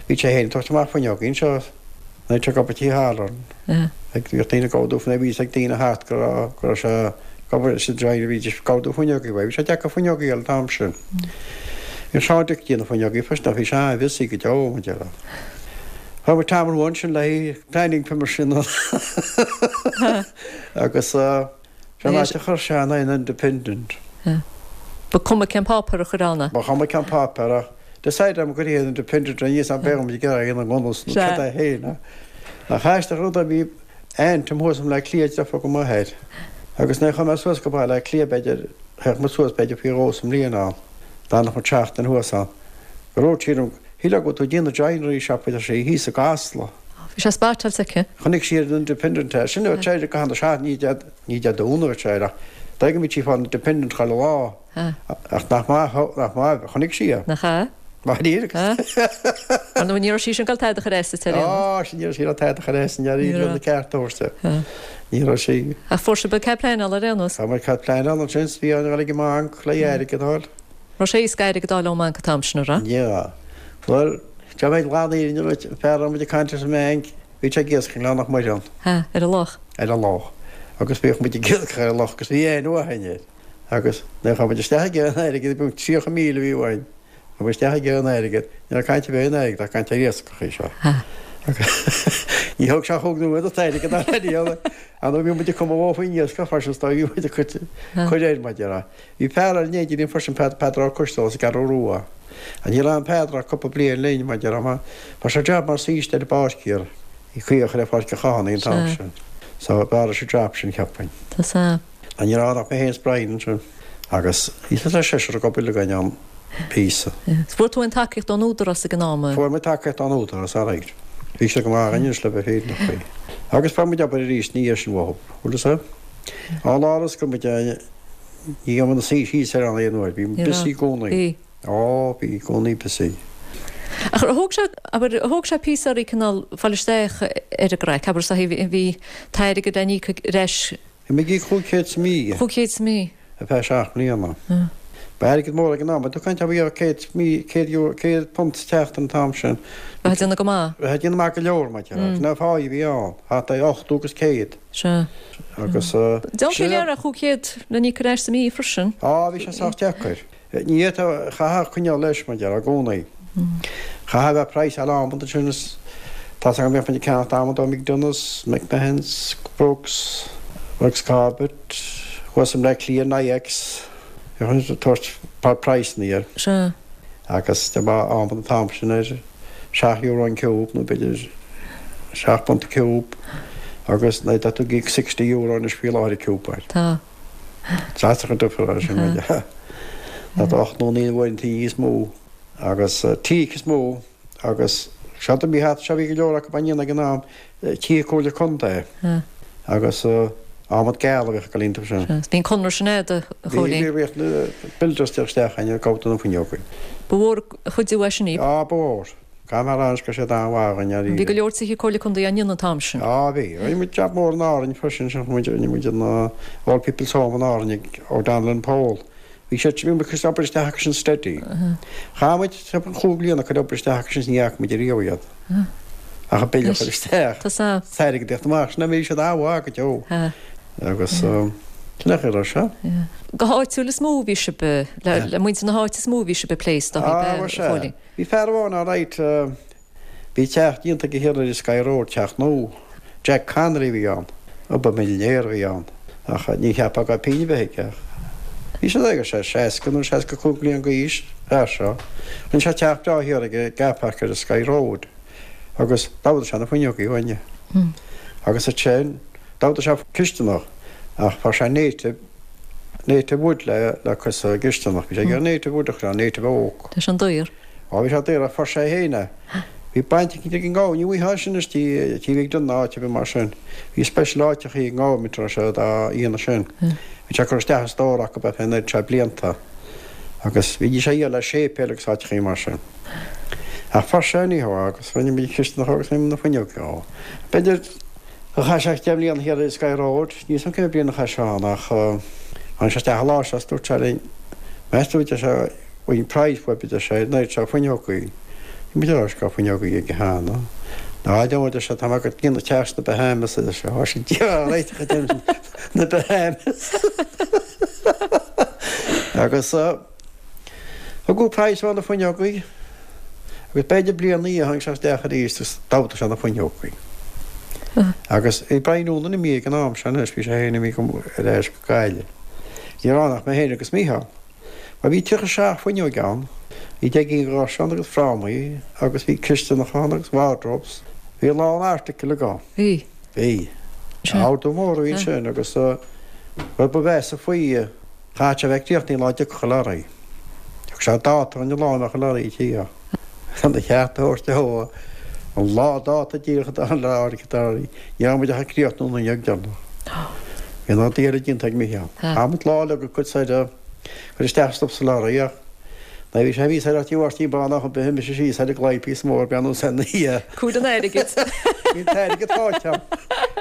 Bhí sé féin ag tabhairt amach fuinneogaí anseo nuair a bhí sé ag obair Tí Halloran. Ag bhíodh daoine ag ordú fuinneoga, bhí fhios ag daoine thart go raibh go raibh sé ag obair leis an joinery, bhídís ag ordú fuinneogaí uaidh. Bhí sé deacair fuinneogaí a fháil an t-am sin. Bhí Seán Dick ag déanamh fuinneogaí freisin ach bhí sé an-bhusy go deo, mar a déarfá. Fuair muid tamall ansin le haghaidh planning permission agus. Sé an áit a chuir sé an an Independent. Ba cuma cén páipéar a chuir ann é. Ba chuma cén páipéar ach decide am gur an Independent an níos beidh muid ag iarraidh an ngnós nó cad é féin. Nach aisteach an rud é bhí aunt agam thuas i mBleá Cliath deirfiúr go m'athair agus nuair a chuaigh mé suas go Baile Átha Cliath b'fhéidir théadh muid suas b'fhéidir faoi dhó sa mbliain ann d'fhanadh muid seachtain thuas ann go raibh sí liom shílfeá go bhfuil tú ag déanamh joinery shop a deir sí thíos i gCasla. Bhí sé spátáilte aici. Chonaic sí ar an Independent é. Sin a bheadh sé go hana sea, ní Dé ní Dé Domhnaigh a bheadh sé air ach d'fhéadfadh go mbíodh sí ag fáil an Independent chuile lá. Ach nach maith nach maith a chonaic sí é. Nach ea? Maith ní Ar ndóigh ní raibh sí sin ag dul tada a chur as duit ar aon nós. Á, sin ní raibh sí ag dul tada a chur as, ní raibh na cearta a thabhairt di. Ní raibh sí. Ach fuair sibh cead pleanála ar aon nós. Fuair muid cead pleanála ansin 's bhí orainn a dhul ag an mbanc le airgead a fháil. Raibh sé éasca airgead a fháil ón mbanc an t-am sin, an raibh? Ní raibh. Bhuel, Dá mbeadh lán fhírinne duit, fear a raibh muid ag caint leis an mbanc, bhí sé ag iascach i nGleann Mhuire ann. Ha, ar an loch. Ar an loch. Agus bhíodh muid ag iascach ar an loch agus bhí aithne mhaith againn air. Agus nuair a chuaigh muid isteach ag iarraidh an airgid, bhí 30,000 a bhí uainn. Chuaigh muid isteach ag iarraidh an airgid, ní raibh caint ar bith ar an airgead ach caint ar iascach í seo. Ha. Agus ní thug sé chúig nóiméad an t-airgead a fháil. Ar ndóigh bhí muid ag cumadh dhó faoin iascach freisin is dóigh bhí muid ag cur air mar a déarfá. Bhí fear eile in éindí linn freisin, Peadar Ó Coisteala as an gCeathrú Rua. Ach ní raibh an Peadar ach cúpla bliain linn, mar a déarfá. Fuair sé jab mar saoiste ar an bpáirc thiar, bhí caoch ar Pháirc an Chathánaigh an t-am sin. So b'fhearr leis an jab sin, cheapfainn. Tá sea. Ach ní raibh ann ach mé féin is Brian ansin. Agus bhí suas le seisear ag obair againn ann píosa. Is fuair tú aon tacaíocht ón Údarás ag an am? Fuair muid tacaíocht ón Údarás, alright. Bhí siad go maith againn anois le bheith fírinneach faoi. Agus fuair muid obair arís ina dhiaidh sin uathu. Bhfuil fhios a'd? Ón lá a scoir muid ní raibh muid ina suí síos ar an aon uair, bhí muid busy i gcónaí. Bhí. Ó, bhí i gcónaí busy. Ach ar thóg sé, abair, ar thóg sé píosa oraibh cineál fáil isteach ar an gcraic, abair, so bhí, bhí t-airgead le n-íoc ar ais. Bhí muid ag íoc 500 sa mí. 500 sa mí. Ar feadh 7 mbliana. Ba airgead mór ag an am. Tú ag caint ar 100 mí, 100 euro, 100 punt sa tseachtain an t-am sin. Bheifeá ag déanamh go maith. Bheifeá ag déanamh maith go leor, mar a déarfá. Sin an pháigh a bhí ann. Thart ar 80 agus 100. Sea. Agus. Déan tú léir ar 500 le n-íoc ar ais sa mí freisin. Á, bhí sé sách deacair. Ní fhéadfá, chaithfeá coinneáil leis, mar a déarfá, i gcónaí. Chaithfeá bheith ag praghsáil adhmad ansin is tá 's agam bhíodh muid ag ceannacht adhmad ó McDonough's, McMahon's, Brooks, Brooks Corbett, thuas i mBleá Cliath, Nyack's, bhíodh muid ag tabhairt praghsanna air. Sea. Agus de bharr adhmad an t-am sin ar €7 an ciúb nó b'fhéidir £7 an ciúb agus nuair atá tú ag íoc €60 anois faoi láthair an ciúb air. Tá. Deasach an difear é sin rud. Ná tá 8 nó 9 uaireanta níos mó agus teak is mó agus seo do bhí thart seo bhí go leor acu á ndéanamh ag an am tithe comhairle contae agus adhmad geal a bhíodh ag dul iontu sin. Bhí an conradh sin a'd a Chóilín. Bhí bhí na builders ag teacht isteach ag gabháil do na fuinneoga. Ba mhór an chuidiú é sin. Á ba mhór. Caithfidh mé a rá anois go raibh siad an-mhaith againn dáiríre. Bhí go leor tithe Comhairle Contae á ndéanamh an t-am sin. Á, bhí. Rinne muid jab mór in Árainn freisin, sin muid, rinne muid an Old People's Home in Árainn ag O'Donnell and Powell. Bhí siad, bhí muid ag cur obair isteach acu sin steady. Chaith muid timpeall chúig bliana ag cur obair isteach acu sin is ní fhaca muid ariamh iad. Ach an bille a chur isteach. Tá sa. Is airgead a theacht amach. Sin é, bhí siad an-mhaith go deo. Agus sin é a raibh sé. Go háitiúil is mó a bhí sibh, le muintir na háite is mó a bhí sibh ag plé is dóigh, a Chóilín. Bhí fear amháin alright, bhí teach déanta aige thiar ar an Sky Road, teach nua. Jack Connolly a bhí ann. Uba millionaire a bhí ann. Ach ní cheapfá go raibh pingin ar bith aige ach bhí sé ag sé 60 nó 65 bliain d'aois, fear seo. Rinne sé teach breá thiar ag an gcar park ar an Sky Road agus d'ordaigh sé na fuinneogaí uainne. Agus ansin d'ordaigh sé cisteanach ach fuair sé native Native wood le le cur sa gcisteanach. Bhí sé ag iarraidh native wood a chur ann, native oak. Tá sin daor. Á bhí sé daor ach fuair sé féin é. Bhí baint eicínt ag an ngovernment, ní bhfaighfeá sin anois tí tí bhí ag déanamh áit ar bith mar sin. Bhí special áiteachaí ag an ngovernment a raibh siad á dhéanamh sin. Bhí sé ag cur isteach i stór acu ar feadh an oiread seo blianta. Agus bhídís á dhíol le séipéil agus áiteachaí mar sin. Ach fuair sé anyhow agus rinne muid cistineacha agus rinne muid na fuinneoga dhó. B'fhéidir gur chaith sé 10 mbliana thiar i Sky Road, níl 's a'm cé mhéad bliain a chaith sé ann ach tháinig sé isteach an lá seo is dúirt sé linn, meas tú a deir sé, bhfuil price uaibh a deir sé, an oiread seo fuinneogaí. Bhí muid ag rá go raibh fuinneogaí aige cheana. Ná a deir sé, tá mé ag déanamh teach sna Bahamas a deir sé, tá sé réiteach ag déanamh na Bahamas. Agus. Thugadh praghas ar na fuinneogaí agus b'fhéidir bliain ina dhiaidh tháinig sé isteach arís agus d'ordaigh sé na fuinneogaí. Agus bhí Brian Noonan imithe ag an am sin anois, bhí sé féin imithe ar ais go Gaillimh. Ní raibh ann ach mé féin agus Mícheál. Mar bhí 37 fuinneoig ann, bhí 10 gcinn dhoirse ann agus frámaí agus bhí cistineacha ann agus wardrobes. Bhí a lán article agam. Bhí. Bhí. Ordú mór a bhí ansin agus rud ba mheasa faoi, Chaithfeadh sé a bheith críochnaithe an lá a dtiocfadh an lorry. Thug sé dáta dhúinn an lá a mbeadh an lorry ag tíocht. Chun a cheart a thabhairt dó, an lá dáta díreach a dtáinig an lorry, ní raibh muid ach ag críochnú an fhuinneog deireanach. Bhí an rud eile déanta ag Micheál. Chaith muid lá uilig ag cur soir, cur isteach stuif sa lorry ach nuair a bhí sé thíos ar Tí Mháirtín Bán ach bhí mise síos ar an gclaí píosa mór breathnú san oíche. Cúl an airgid. Bhí an t-airgead faighte.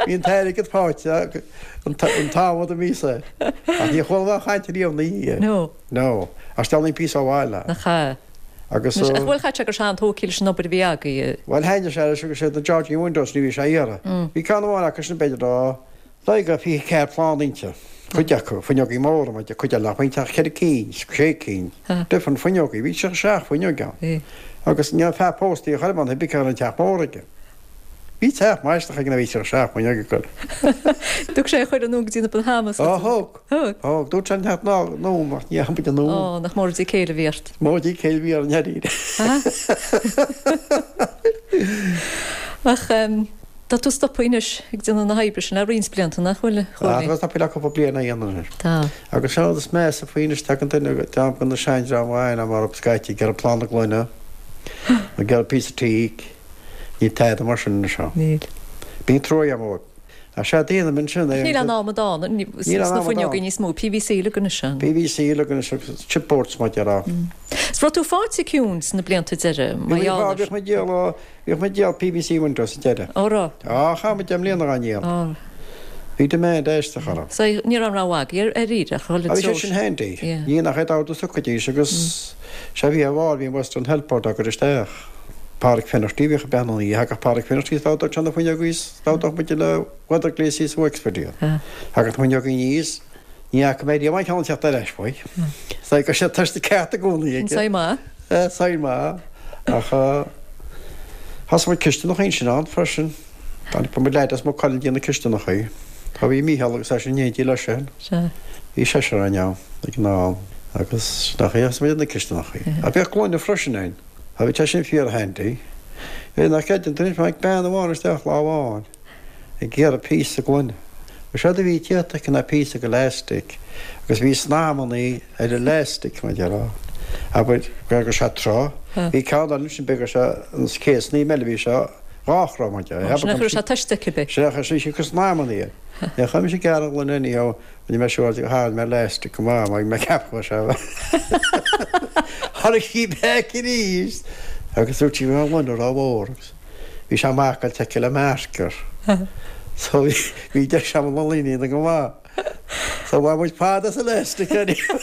Bhí an t-airgead faighte. An t-am a bhí sé. Ach níor chuala mé á chaint riamh ina dhiaidh. No. No. Ach steallaim píosa ó bhaile. Nach ea. Agus. Ach bhuel chaith sé gur sean-tógtha leis an obair a bhí agaibh. Bhuel thaitnigh sé leis agus siad na Georgian Windows ní bhí sé a iarraidh. Bhí ceann amháin acu sin b'fhéidir dá dóigh go 24 plán inti. Cuid acu, fuinneogaí móra, mar cuid eile nach bhfuil ach ceithre cinn, sé cinn. Different fuinneogaí. Bhí 37 fuinneog ann. Agus ní raibh fear pósta a chuir ann, bhí ceann an teach mór aige. Bhí teach maisitheach ag na bhí 37 fuinneog ag goil. Thug sé a chuireadh anonn go dtí na Bahamas. Ó thug. Thug. Thug. Dúirt sé an teach ná anonn ach ní dheachaigh muid anonn. Ó, nach mór díth céille a bhí ort. Mór díth céille a bhí orainn dáiríre. Ach tá tú stoptha anois ag déanamh na hoibre sin le roinnt blianta, nach bhfuil, a Chóilín? Tá, tá stoptha le cúpla bliain á dhéanamh anois. Tá. Agus sin an rud is measa faoi anois, tagann duine, dream de na seandream amháin mar scaití ag iarraidh plána gloine, ag iarraidh píosa teak. Níl tada mar sin anseo. Níl. Bíonn trua agam dóibh. Ach sea, déanaim ansin é. Níl aon amadán sna fuinneogaí níos mó. PVC uilig anois ann. PVC uilig anois agus chipboards mar a déarfá. Is raibh tú faighte ciúin sna blianta deiridh, mar gheall air. Bhíodh muid ag díol, bhíodh muid ag díol PVC windows sa deireadh. Ó raibh? Á, chaith muid 10 mbliana á ndíol. Ó. Bhí demand aisteach orthu. So ní raibh aon rogha agaibh dáiríre ach dhul i Bhí sé sin handy. Ní nach é d'ordú s'acu agus sea bhí ar bharr, bhí an Western Health Board á gcur isteach. Pádraic Finnerty, bhíodh ag breathnú ina dhiaidh. Thagadh Pádraic Finnerty is d'ordódh sé na fuinneogaí is d'ordódh muide le Weather Glaze as Wexford iad. Thagadh na fuinneogaí aníos, ní fhaca mé riamh aon cheann ag teacht ar ais uaidh. Is go raibh sé tuiste ceart i gcónaí aige. Saol maith. Saol maith. Ach thosaigh muid cistineacha ansin ann freisin. Tháinig muid leaid as Maigh Cuilinn ag déanamh cistineacha. Tá bhí Mícheál agus eisean in éindí leis sin. Bhí seisear againn ann ag an am agus nach é thosaigh muid na cistineacha. Ach bhíodh gloine freisin ann. Tá bhí sé sin fíor handy. Bhí nach gcreideann tú anois, tháinig bean amháin isteach lá amháin ag iarraidh píosa gloine. Bhuel séard a bhí déanta aici ná píosa de elastic agus bhí snaidhmeannaí ar an elastic mar a déarfá. Abair go raibh sé tráth. Bhí ceann eile ansin b'fhéidir go raibh sé an chéad snaidhm eile bhí sé dhá throigh mar a déarfá. Sin é chuir sé tuiste aici b'é. Sin é chuir sí snaidhmeannaí air. Ní chuir mise gearradh gloine anyhow. Rinne mé siúr de gur tharraing mé elastic go maith mar bhí mé ag ceapadh go raibh sé Tháinig sí back arís agus dúirt sí go raibh an ghloine rómhór agus bhí sé marcáilte aici le marker. So bhí deis agam an ghloine a dhéanamh go maith. So bhain muid fad as elastic anyhow.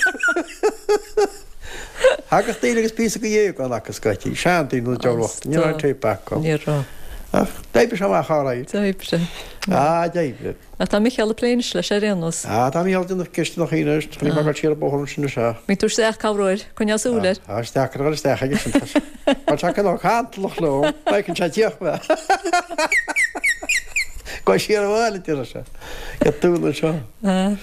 Thagadh daoine agus píosa de dhéagán acu scaití, seandaoine nó deoraíocht, ní raibh aon tape acu. Ní raibh. Ach d'oibrigh sé amach alright. D'oibrigh. Ah, d'oibrigh. Ach tá Micheál ag plé anois leis ar aon nós. Ah, tá Micheál ag déanamh cistineacha anois, tá mé ag dul siar an bóthar ansin is ea. Bíonn tú isteach cabhrú air, coinneáil súil air. Ah, is deacair a dhul isteach aige sin, tá sé, tá sé cineál cantalach liom, feiceann sé tíoch mé. Gabh siar abhaile, a deir sé. Get dúil anseo. Ah.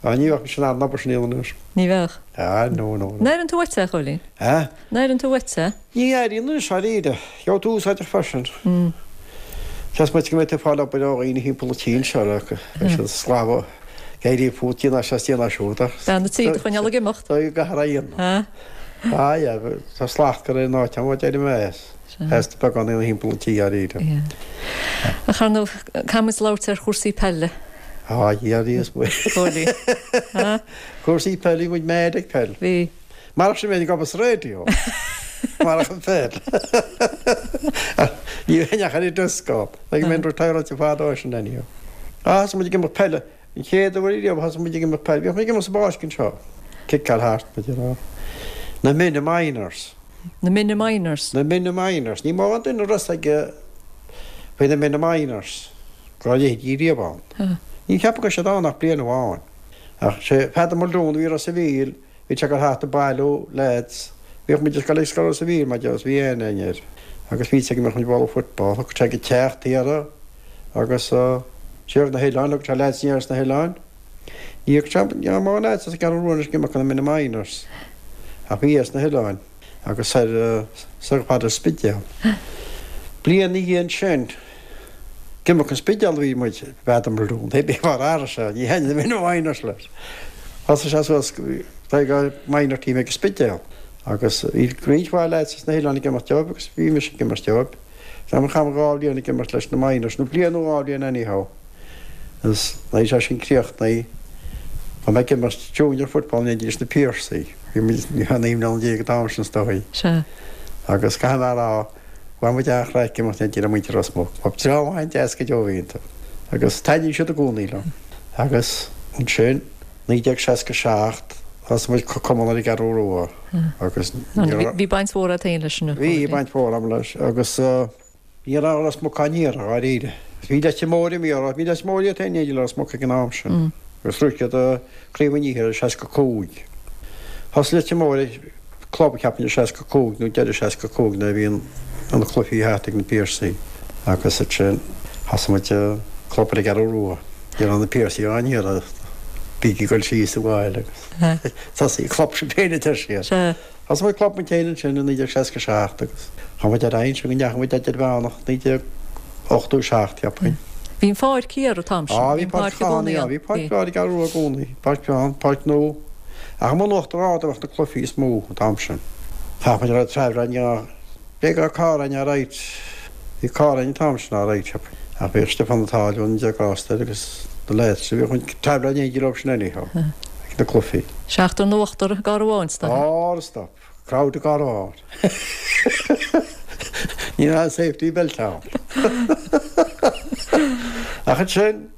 Ah, ní bheadh mise in ann an obair sin a dhéanamh anois. Ní bheadh. Ah, no, no, no. An airíonn tú uait é, a Chóilín? Eh? An airíonn tú uait é? Ní airím anois dáiríre. Gheobhaidh tú úsáideach freisin. Seans maith go mbeidh tú ag fáil obair ó dhaoine thimpeall an tí anseo le beidh siad ag sclamhadh ag éirí fút déan é seo is déan é siúd ach Bean an tí do choinneáil ag imeacht. Tá go gcaithfear a dhéanamh. Ah yeah, tá slacht go raibh an áit ann, déarfaidh mé as. As de beagán daoine thimpeall an tí dáiríre. Ach ar ndóigh, caithfidh muid labhairt ar chúrsaí peile. Ah yeah, bhí is muid. Chóilí. Cúrsaí peile, bhí muid mad ag peil. Bhí. Marach sin bheinn ag obair sa raidió. Marach an pheil. Ní bheinn ach ar an desk ann. Like go mbeinn retired fada ó sin anyhow. Ah, thosaigh muid ag imirt peile. An chéad uair riamh a thosaigh muid ag imirt peile, bhíodh muid ag imirt sa bpáirc anseo. Ciceáil thart, muid ag rá. Na Minna Minors. Na Minna Minors. Na Minna Minors. Ní mórán duine a raibh fhios aige faoi na Minna Minors, go raibh a leithéidí riamh ann. Ní cheapaim go raibh siad ann ach bliain amháin. Ach sé Peadar Muldoon a bhí i Ros a' Mhíl, bhí sé ag dul thart ag bailiú lads. Bhíodh muid ag dul ag scoil Ros a' Mhíl, mar deir, bhí aithne againn air. Agus bhí fhios aige go mbeadh muid ag bualadh football. Thiocfadh sé go teach thiar agus siar na hoileáin, thugadh sé lads aniar as na hoileáin. Ní fhaca sé, ní raibh mórán lads as an gCeathrú Rua anois ag imirt do na Minna Minors. Ach bhí as na hoileáin agus soir, soir chomh fada le Spidéal. Bliain ina dhiaidh sin, ag imirt an Spidéal a bhí muid, Peadar Muldoon, pé bith mar a raibh sé, ní thaitnigh na Minna Minors leis. Thosaigh sé suas go minor team ag an Spidéal agus bhí roinnt mhaith lads as na hoileáin ag imirt dóibh agus bhí mise ag imirt dóibh. Chaith mé dhá bhliain ag imirt leis na Minors, nó bliain nó dhá bhliain anyhow. Agus nuair a bhí sé sin críochnaithe, bhí mé ag imirt junior football in éindí leis na Piarsaigh. Bhí muid, bhí mé 19 mbliana an t-am sin is dóigh. Sea. Agus caithfidh mé a rá, bhain muid an-chraic ag imirt in éindí le muintir Ros Muc. Ba dream an-deas go deo a bhí iontu. Agus taitníonn siad i gcónaí liom. Agus ansin, 1967, thosaigh muid cumann ar an gCeathrú Rua agus ní raibh. Bhí baint mhór agat féin leis an. Bhí baint mhór agam leis agus ní raibh Ros Muc á n-iarraidh dháiríre. Bhí Leitir Móir imithe orthu, bhí Leitir Móir iad féin in éindí le Ros Muc ag an am sin agus shroich siad Craobh an Iarthair i 65. Thosaigh Leitir Móir club cheapfainn i 65 nó deireadh 65 nuair a bhí an cluichí thart ag na Piarsaigh agus ansin thosaigh muid club ar an gCeathrú Rua. Ní raibh na Piarsaigh á n-iarraidh, bígí ag dul síos abhaile agus tosaigh club sibh féin a deir siad. Thosaigh muid club muid féin ansin i 1967 agus chuaigh muid ar aghaidh ansin go ndeachaigh muid idirmheánach 1987 cheapfainn. Bhí an pháirc thiar an t-am sin. Á bhí páirc i gcónaí ann. Bhí páirc ar an gCeathrú Rua i gcónaí, páirc bheag, páirc nua. Ach i mbun Uachtar Ard a bheadh na cluichí is mó an t-am sin. Chaith muid a raibh traibhreáin á B'fhéidir go raibh carr againn alright. Bhí carr againn an t-am sin alright, cheapfainn. Ach bhíodh Stiofán Ó Táilliúin, Dé grásta air, agus na lads, bhíodh muid ag traibhreáil in éindí leo sin anyhow, ag na cluichí. Seachtar nó ochtar i gcarr amháin, is dóigh. Á, stop. Crowd i gcarr amháin. Ní raibh safety belt ann. Ach ansin,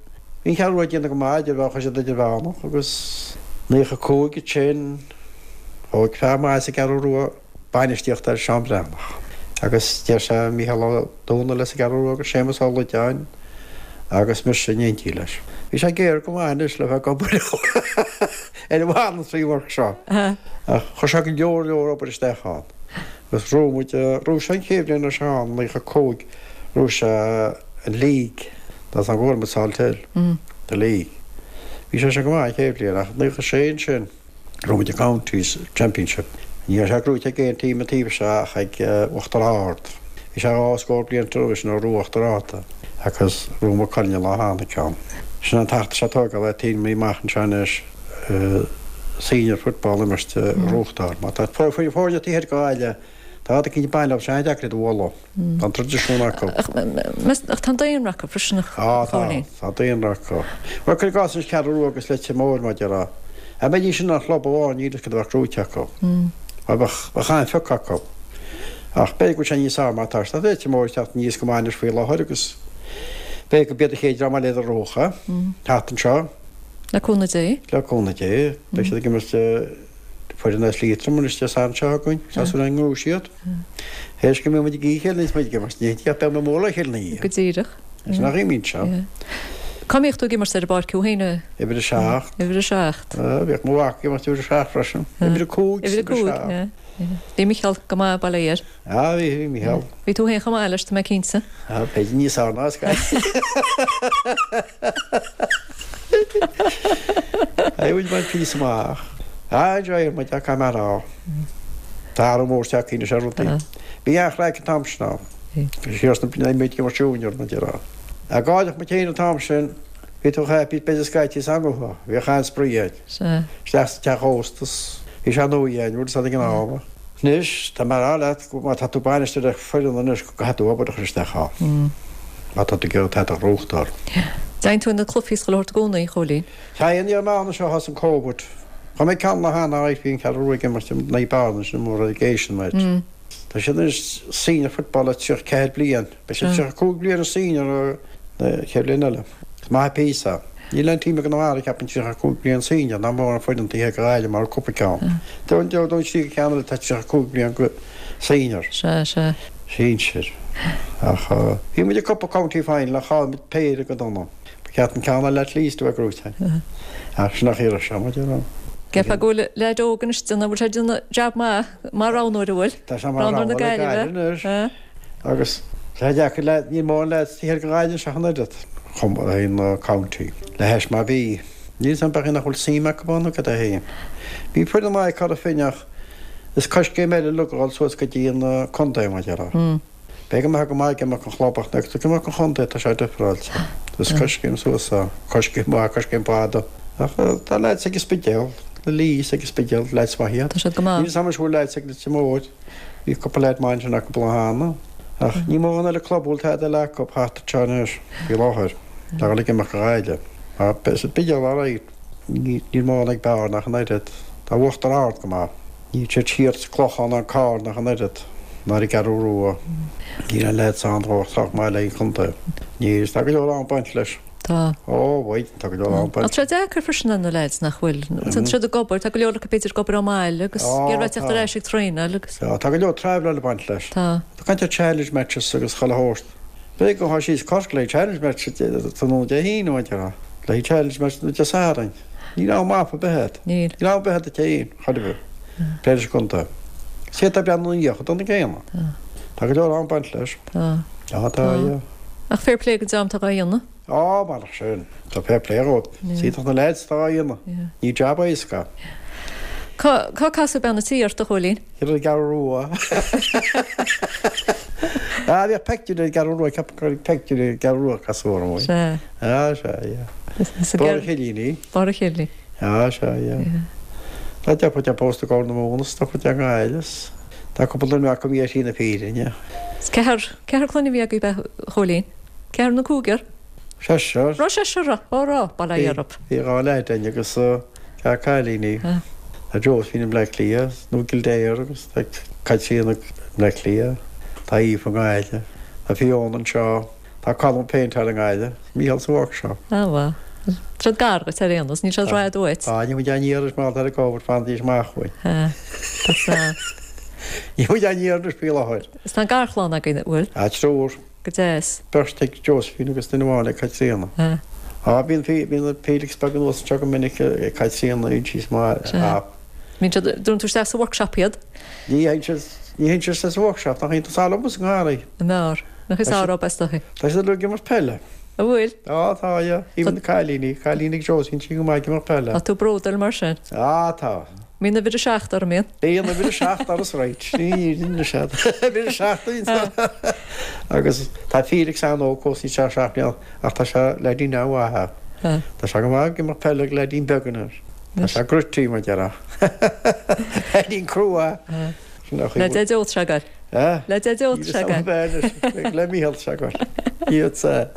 bhí an Cheathrú Rua ag déanamh go maith, idir bheadh siad idirmheánach agus 95 ansin, thóg fear maith as an gCeathrú Rua bainistíocht air, Seán Breathnach. Agus d'iarr sé Mícheál Ó Domhnaill as an gCeathrú Rua agus Séamus Ó Loideáin agus mise in éindí leis. Bhí sé géar go maith anois le bheith ag obair ar an voluntary work seo. Ach chuir sé go leor leor obair isteach ann. Agus ghnóthaigh muid, ghnóthaigh sé an chéad bhliain a raibh sé ann, 95, ghnóthaigh sé an league, that's an bhfuair muid Salthill, the league. Bhí sé sin go maith an chéad bhliain ach 96 ansin, Ghnóthaigh muid an Counties Championship. Ní raibh sé gnóite ag aon team an taobh seo ach ag Uachtar Ard. Bhí sé dhá scór bliain roimhe sin ó ghnóthaigh Uachtar Ard é agus ghnóthaigh Maigh Cuilinn an lá cheana ceann. Sin an t-acht atá sé tógáil le team amach anseo anois senior football imirt a ghnóthachtáil. Má tá foirne taobh thiar de Ghaillimh tá rud eicínt ag baint leo, tá sé an-deacair iad a bhualadh. Tá an traidisiún acu. Ach tá an daonra acu freisin a Á tá, Chóilín. tá daonra acu. Bhuel, cuir i gcás anois Ceathrú Rua agus Leitir Móir, mar a déarfá. Dá mbeidís ina chlub amháin, níl fhios cad a bheadh gnóite acu. Mar bheadh, bheadh an-phioc acu. Ach b'fhéidir go bhfuil sé níos fearr mar atá sé. Tá Leitir Móir ag teacht aníos go maith anois faoi láthair agus b'fhéidir go b'iad an chéad dream eile iad a ghnóthódh teacht anseo. Le cúnamh Dé. Le cúnamh Dé. Beidh siad ag imirt foireann as Liatroim anois Dé Sathairn seo chugainn. Tá súil againn go ngnóthóidh siad. Théis go mbíonn muid ag ithe a chéile níos muid ag imirt ní ach beidh mé mór le chéile ina dhiaidh. Go díreach. Is nach imíonn seo. Cá mbíodh tú ag imirt ar an bpáirc thú féin? Uimhir 7. Uimhir 7. Bhíodh mo mhac ag imirt uimhir 7 freisin. Uimhir 5 Uimhir 5, Bhí Micheál go maith bail ó Dhia air. Ah, bhí, bhí Micheál. Bhí tú féin chomh maith leis, tá mé cinnte. Ah, b'fhéidir níos fearr ná scaití. Bhí muid ag baint píosa amach. Ah, enjoy muid, ah, caithfidh mé a rá. Tá athrú mór tagtha anois ar rudaí. Bhí an-chraic an t-am sin ann. Siar sna blianta muid ag imirt junior, mar a déarfá. Ach gáireach muid féin an t-am sin, bhí tú happy, b'fhéidir scaití is ann bhíodh an-spraoi air. Isteach sa teach ósta, bhí sé nua againn, bhfuil fhios a'd ag an am. Anois, tá mé a rá leat, má tá tú bainisteoir ar foireann anois, go gcaithfidh tú obair a chur isteach ann. Má tá tú ag iarraidh tada a ghnóthachtáil. Dtéann tú ag na cluichí is chuile shórt i gcónaí, a Chóilín? Téann, ní raibh mé ann anseo ó thosaigh an Covid. Chuaigh mé ceann lá cheana, bhí an Cheathrú Rua ag imirt i Naomh Bearna, sin mór ag Asian match. Tá siad anois senior football le 34 bliain. Beidh siad 35 bliain i senior an chéad bhliain eile. Is maith an píosa. Níl aon team i gConamara ceapaim 35 bliain senior ná mórán foireann taobh thiar de Ghaillimh mar cúpla ceann. Dónn trí ceann eile atá 35 bliain go senior. Sea, sea. Sinsir. Ach bhí muid i gcúpla county final ach chaill muid péire go dona. Ba cheart an ceann eile at least a bheith gnóite againn. Ach sin an chaoi a raibh sé, muid ar. Ceapfá go bhfuil leaid óg anois ag déanamh, bhfuil sé ag déanamh jab maith mar roghnóir, an bhfuil? Tá sé mar roghnóir na Gaillimhe anois. Agus tá sé deacair le, níl mórán leaids taobh thiar de Ghaillimh ach an oiread, chomh maith le na county, le hais mar bhí. Níl 'fhios a'm b'fhéidir nach bhfuil suim acu ann nó cad é féin. Bhí foireann maith ag Cora Finne ach is coiscéim eile uilig a dhul suas go dtí an contae mar a déarfá. B'fhéidir go mbeifeá go maith ag imirt an chlub ach nuair atá tú ag imirt an chontae tá sé difreáilte. Is coiscéim suas é, coiscéim mhaith, coiscéim fada. Ach tá leaids ag an Spidéal, na Lees ag an Spidéal, leaids maith iad. Tá siad go maith. Níl 'fhios a'm anois an bhfuil leaids ag Leitir Móir. Bhí cúpla leaid maith ansin acu bliain cheana. Ach níl mórán eile club a bhfuil tada eile acu thart anseo anois faoi láthair. Tá dhul ag imeacht go Gaillimh. Mar beidh sa Spidéal alright. Níl mórán ag Bearna ach an oiread. Tá Uachtar Ard go maith. Níl siad siar sa Clochán ná an Carn ach an oiread. Ná ar an gCeathrú Rua. Níl aon leaids ann chomh sách maith le an chontae. Níl. Tá go leor am ag baint leis. Tá. Ó, bhuel, tá go leor am ag baint. Tá sé deacair freisin ar na leaids nach bhfuil. Tá siad ag obair, tá go leor acu b'fhéidir ag obair ón mbaile agus ag iarraidh teacht ar ais ag traenáil agus. Tá, tá go leor traveláil ag baint leis. Tá. Tá caint ar challenge matches agus chuile shórt. B'fhéidir go ghabhfá síos Corcaigh le challenge match tráthnóna Dé hAoine, mar a déarfá. Le challenge match nó Dé Sathairn. Níl am off ar bith agat. Níl. Níl am ar bith agat duit féin, chor ar bith. Pléigh leis an gcontae. Is iad atá ag breathnú ina dhiaidh chomh dona céanna. Tá. Tá go leor am ag baint leis. Tá. Tá, tá, yeah. Ach fair play don dream atá dhá dhéanamh. Á, marach sin. Tá fair play dhóibh. Is iontach na leaids atá á dhéanamh. Ní jab éasca. Yeah. Cá, cá casadh bean an tí ort, a Chóilín? Ar an gCeathrú Rua. Ah, bhíodh peictiúr ar an gCeathrú Rua, ceapaim gur peictiúr ar an gCeathrú Rua a casadh orm. Sea. Ah, sea, yeah. Barr an Chillíní. Barr an Chillíní. Ah, sea, yeah. Yeah. Tá deirfiúr de pósta i gCorr na Móna, is deirfiúr de i nGaillimh, is tá cúpla duine acu ar shlí na fírinne. Is ceathrar, ceathrar clainne a bhí agaibh, a Chóilín? Ceathrar nó cúigear? Seisear. Raibh seisear, raibh, ó raibh, bail ó Dhia oraibh. Bhí 2 leaid againn agus ceathrar cailíní. Tá Josephine i mBleá Cliath, nó i gCill Dara agus tá Caitríona i mBleá Cliath, tá Aoife i nGaillimh, tá Fiona anseo, tá Colm péinteáil i nGaillimh, Mícheál sa workshop. Á mhaith. Tá siad gar duit ar aon nós, níl siad rófhada uait. Tá, níl muid á n-iarraidh anois mar tá ag obair, fanaidís amach uainn. Tá, tá. Níl muid á n-iarraidh anois faoi láthair. Is tá garchlann agaibh, an bhfuil? Tá triúr. Go deas. Beirt ag Josephine agus duine amháin ag Caitríona. Á, bíonn, bíonn Felix beag anuas anseo go minic ag Caitríona, bíonn sí maith, a. Bíonn siad, dúnann tú isteach sa workshop iad? Ní théann siad, ní théann siad isteach sa workshop, nach iontas á liom is an ngarraí. An mbeár? Nach is ár is dóichí. Tá siad uilig ag imirt peile. An bhfuil? Á, tá, yeah. Even na cailíní, cailíní ag Josephine, sí go maith ag imirt peile. Tá tú bródúil mar sin? Á, tá. Mbíonn uimhir a 7 orm, mbíonn? Bíonn uimhir a 7 orm, right. Ní ní siad. Uimhir a 7 bíonn. Agus tá Felix an-óg fós, níl sé ach 7 mbliana, ach tá sé leaidín an-mhaith é. Tá sé go maith ag imirt peile ag leaidín beag anois. Tá sé gritty, mar a déarfá. Leaidín crua é. Le Deaideo tá sé ag goil. Le Deaideo tá sé ag goil. Le Mícheál tá sé ag goil. Iad sa.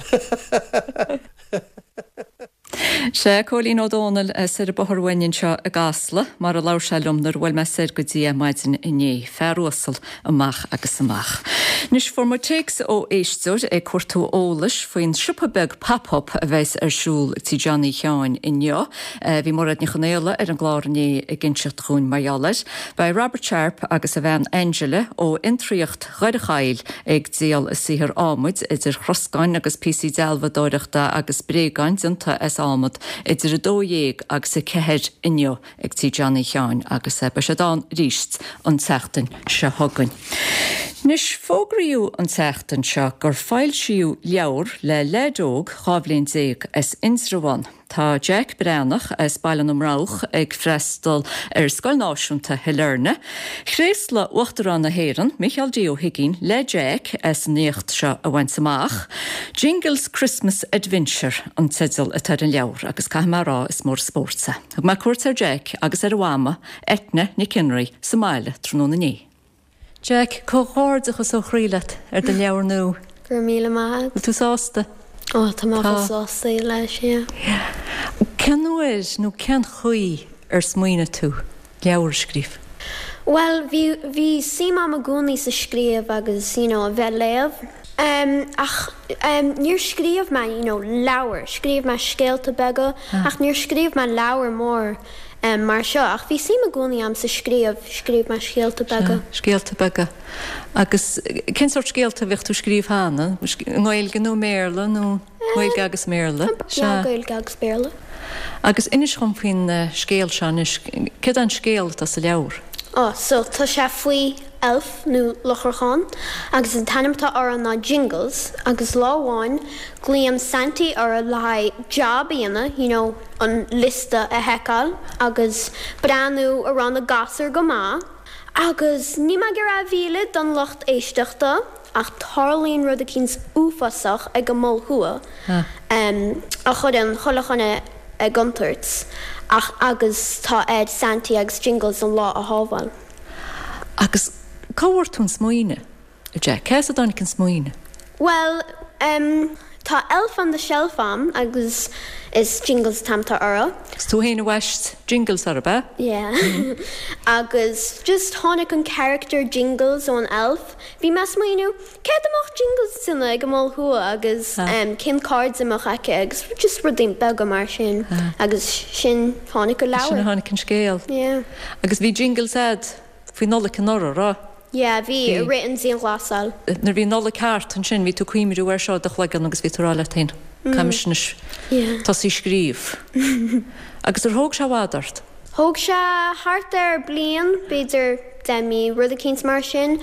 Sea, Cóilín Ó Dónaill soir an bóthar uainn anseo i gCasla, mar a labhair sé liom nuair a bhuail mé soir go dtí é maidin inné. Fear uasal amach agus amach. Anois, fuair muid téacs ó éisteoir ag cuartú eolais faoin siopa beag pop-up a bheas ar siúl ag tí Johnny Sheáin inniu. Bhí Mairéad Ní Chonaola ar an gclár inné ag inseacht dhúinn mar gheall air. Beidh Robert Sharpe agus a bhean Angela ó Fhiontraíocht Dhoire Chaill ag díol a saothar adhmaid, idir throscáin agus píosaí dealbhadóireachta agus bréagáin déanta as adhmad, idir 12 agus 4 inniu ag Tí Johnny Sheáin agus beidh siad ann arís an tseachtain seo chugainn. Anois, fógraíodh an tseachtain seo gur foilsíodh leabhar le leaid óg 12 bhliain as Indreabhán. Tá Jack Breathnach as Baile na mBroghach ag freastal ar Scoil Náisiúnta Shailearna. Thréaslaigh Uachtarán na hÉireann, Micheál D. Ó hUigínn, le Jack as an éacht seo a bhaint amach. Jingles Christmas Adventure an teideal atá ar an leabhar agus caithfidh mé a rá is mór an spórt é. Thug mé cuairt ar Jack agus ar a mhama, Eithne Nic Fhionnraoigh, sa mbaile tráthnóna inné. Jack, comhghairdeachas ó chroí leat ar do leabhar nua. Go raibh míle maith agat. Bhfuil tú sásta? Ó, tá mé chomh sásta leis, yeah. Cén uair nó cén chaoi ar smaoinigh tú leabhar a scríobh? Bhuel, bhí, bhí suim a'm i gcónaí sa scríobh agus, you know, a bheith léamh. Em, ach, em, níor scríobh mé, you know, leabhar. Scríobh mé scéalta beaga ach níor scríobh mé leabhar mór, em, mar seo. Ach bhí suim i gcónaí a'm sa scríobh, scríobh mé scéalta beaga. Sea, scéalta beaga. Agus cén sórt scéalta a bhíodh tú ag scríobh cheana? I nGaeilge nó i mBéarla nó? Gaeilge agus mBéarla. Sea. Gaeilge agus Béarla. Agus inis dhom faoin scéal seo anois. Céard é an scéal atá sa leabhar? Ó, so tá sé faoi elf nó lucharachán agus an t-ainm atá orthu ná Jingles agus lá amháin glaonn Santy orthu le haghaidh job a dhéanamh, you know, an liosta a sheiceáil agus breathnú a raibh na gasúir go maith agus níl mé ag iarraidh a mhilleadh don lucht éisteachta. Ach tarlaíonn rud eicínt uafásach ag an Mol Thuaidh a chuireann chuile dhuine i gcontúirt ach agus tá ar Santy agus Jingles an lá a shábháil. Agus cá bhfuair tú an smaoineamh, a Jack? Cá as a dtáinig an smaoineamh? Bhuel, em, tá Elf on the Shelf a'm agus is Jingles an t-ainm atá orthu. Is tú féin a bhaist Jingles orthu, ab ea? Yeah. Agus just tháinig an character Jingles ón Elf. Bhí mé ag smaoineamh, céard a mbeadh Jingles ag déanamh ag an Mol Thuaidh agus cén cairde a mbeadh aici agus just rudaí beaga mar sin agus sin tháinig an leabhar. Sin a tháinig an scéal. Yeah. Agus bhí Jingles a'd faoi Nollaig anuraidh, raibh? Yeah, bhí, i rith an dianghlasáil. Nuair a bhí Nollaig thart ansin bhí tú ag cuimhniú air seo i do chloigeann agus bhí tú ag rá leat féin, caithfidh mise anois tosaí ag scríobh. Agus ar thóg sé i bhfad ort? Thóg sé thart ar bliain, b'fhéidir 10 mí, rud eicínt mar sin.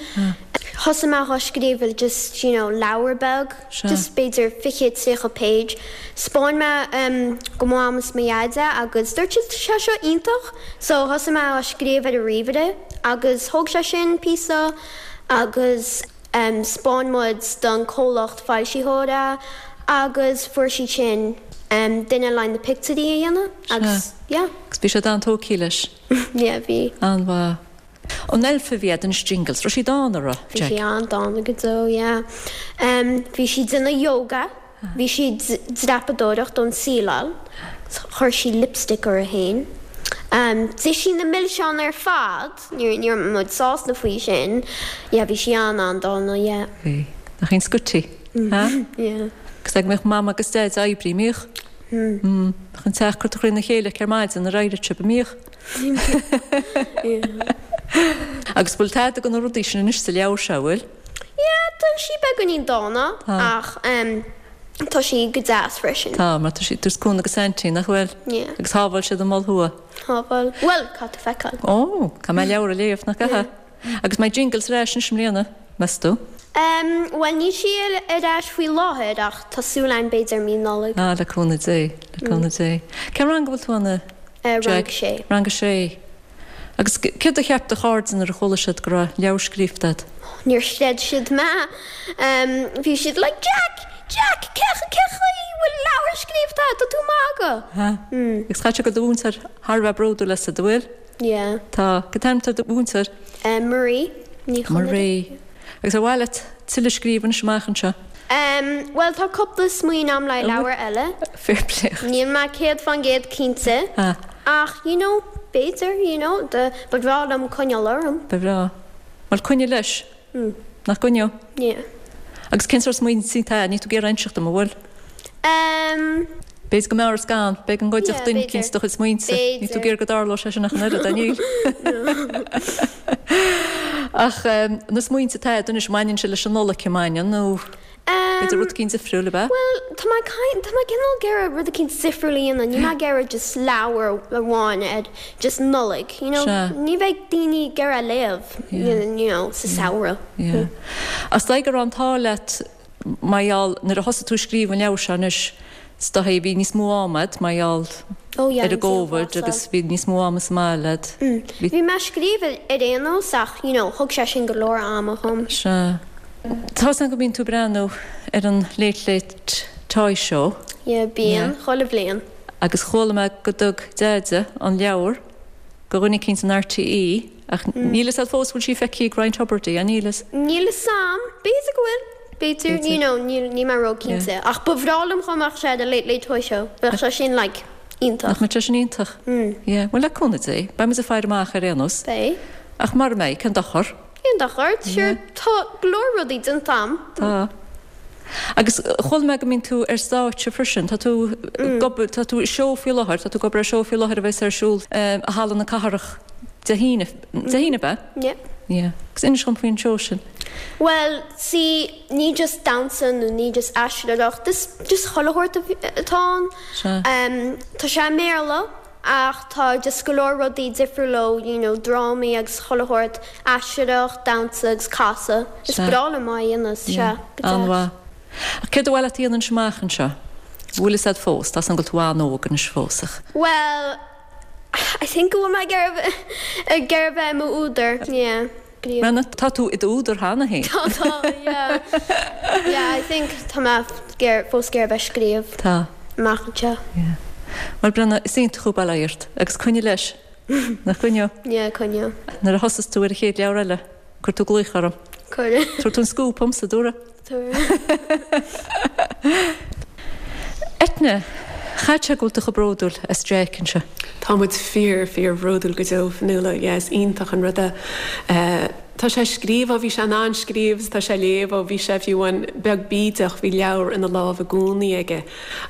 Thosaigh mé á scríobh i just, you know, leabhar beag, just b'fhéidir 20, 30 page. 'Spáin mé go Mam is mo Dhaid é agus dúirt siad tá sé seo iontach. So thosaigh mé á scríobh ar an ríomhaire agus thóg sé sin píosa agus 'spáin muid don comhlacht foilsitheoir é agus fuair siad sin duine le na pictiúirí a dhéanamh agus yeah. Agus bhí siad an-tógtha leis. Yeah, bhí. An-mhaith. An elf a bhí a'd anois Jingles, raibh sí dána, raibh, Bhí sí an-dána go deo, yeah. Bhí sí ag déanamh yoga, bhí sí ag dreapadóireacht ón tsíleáil, chuir sí lipstick uirthi féin. D'ith sí na milseáin ar fad, ní raibh muid sásta faoi sin. Yeah, bhí sí an-an-dána, yeah. Bhí. Nach í an scoití, ha? Yeah. Agus ag mbeadh Mam agus Daid ag oibriú, an mbíodh? Bheadh an teach curtha thrína chéile aici ar maidin nuair a éiríodh sibh, an mbíodh? Agus bhfuil tada de na rudaí sin anois sa leabhar seo, bhfuil? Yeah, tá sí beagáinín dána ach tá sí go deas freisin. Tá, mar tá sí ag tabhairt cúnamh do Saintí, nach bhfuil? Yeah. Agus shábháil siad an Mol Thuaidh. Shábháil. Bhuel, caithfidh tú feiceáil. Ó, caithfidh mé an leabhar a léamh, nach gcaithfidh? Agus mbeidh Jingles ar ais anois i mbliana, meas tú? Em, bhuel níl sí ar ais faoi láthair ach tá súil againn b'fhéidir mí Nollag. Ah, le cúnamh Dé, le cúnamh Dé. Cén rang a bhfuil tú ann, a Jack? Rang a sé. Rang a sé. Agus céard a cheap do chairde nuair a chuala siad go raibh leabhar scríofa agat? Níor chreid siad mé. Em, bhí siad like, Jack! Jack! Cé, cé chaoi a bhfuil leabhar scríofa agat? Tá tú ag magadh! Ha. Agus caithfidh sé go bhfuil do mhúinteoir thar a bheith bródúil asat, an bhfuil? Yeah. Tá. Cén t-ainm atá ar do mhúinteoir? Marie Ní Chonaire. Marie. Agus ar mhaith leat tuilleadh scríobh anois amach anseo? Bhuel, tá cúpla smaoineamh a'm le leabhar eile. Fair play. Níl mé 100% cinnte. Ach, you know, b'fhéidir, you know, ba bhreá liom coinneáil orm. Ba bhreá. Bhuel, coinnigh leis. Nach gcoinneodh? Yeah. Agus cén sórt smaointe atá? Níl tú ag iarraidh inseacht dom, an bhfuil? Ehm. B'fhéidir go mb'fhearr is gan. B'fhéidir go ngoidfeadh duine eicínt do chuid smaointe. Níl tú ag iarraidh go dtarlódh sé sin ach an oiread, a níl? Ach na smaointe atá agat anois, mbaineann sé leis an Nollaig, an mbaineann, nó b'fhéidir rud eicínt difriúil, ab ea? Bhuel, tá mé tá mé cineál ag iarraidh rud eicínt difriúil a dhéanamh. Níl mé ag iarraidh just leabhar amháin ar just Nollaig, you know? Ní bheidh daoine ag iarraidh léamh, you know, sa samhradh. Yeah. Is dóigh go raibh an t-ádh leat mar gheall, nuair a thosaigh tú ag scríobh an leabhair seo anois, is dóigh bhí níos mó ama agat mar gheall Oh yeah, ar an gCóvid agus bhí níos mó ama sa mbaile agat. Bhí. Bhí mé ag scríobh ar aon nós ach, you know, thug sé sin go leor ama dhom. Sea. Tá 'fhios a'm go mbíonn tú ag breathnú ar an Late Late Toy Show. Yeah, bíonn, chuile bhliain. Agus chuala mé go dtug Deaide an leabhar go dhuine eicínt in RTÉ Ach níl fhios a'd fós bhfuil sí feicthe ag Ryan Tubridy, an níl fhios? Níl fhios a'm. B'fhéidir go bhfuil. B'fhéidir, you know, níl, níl mé ró-cinnte. Ach ba bhreá liom dhá mbeadh sé ar an Late Late Toy Show. Bheadh sé sin like, iontach. Nach mbeadh sé sin iontach? Yeah. Bhuel, le cúnamh Dé, beidh muid ag faire amach ar aon nós. Beidh. Ach mara mbeidh, cén dochar? Cén dochar? Sure, tá go leor rudaí déanta a'm. Tá. Agus chuala mé go mbíonn tú ar stáitse freisin. Tá tú ag obair, tá tú i seó faoi láthair, tá tú ag obair ar seó faoi láthair a bheas ar siúl i Halla na Cathrach Dé hAoine, Dé hAoine ab ea? Yeah. Yeah. Agus inis dhom faoin seó sin. Bhuel, see, ní just damhsa nó ní just aisteoireacht, is just chuile shórt atá ann. Sea. Tá sé i mBéarla ach tá just go leor rudaí difriúil leo, you know, drámaí agus chuile shórt, aisteoireacht, damhsa agus casadh. Is Sea. breá liom á dhéanamh, sea, Yeah. go deas. An-mhaith. Ach céard ba mhaith leat a dhéanamh anois amach anseo? Bhfuil fhios a'd fós, tá 's a'm go bhfuil tú an-óg anois fós ach. Bhuel, I think go bhfuil mé ag iarraidh ag iarraidh bheith i m'údar, yeah. Brenna, tá tú i d'údar cheana féin. Tá, tá, yeah. Yeah, I think tá mé ag iarraidh, fós ag iarraidh bheith ag scríobh. Tá. Amach anseo. Yeah. Bhuel, Brenna, is iontach thú, bail ó Dhia ort, agus coinnigh leis. Nach gcoinneoidh? Yeah, coinneoidh. Nuair a thosas tú ar an chéad leabhar eile, cuir tú glaoch orm. Cuirfidh. Tabharfaidh tú an scúp dhomsa, dtabharfaidh? Eithne, chaithfeadh sé go bhfuil tú chomh bródúil as Jeaic anseo. Tá muid fíor, fíor bhródúil go deo, Fionnuala. Yeah, is iontach an rud é. Tá sé ag scríobh ó bhí sé in ann scríobh is tá sé ag léamh ó bhí sé fiú amháin beag bídeach, bhí leabhar ina lámh i gcónaí aige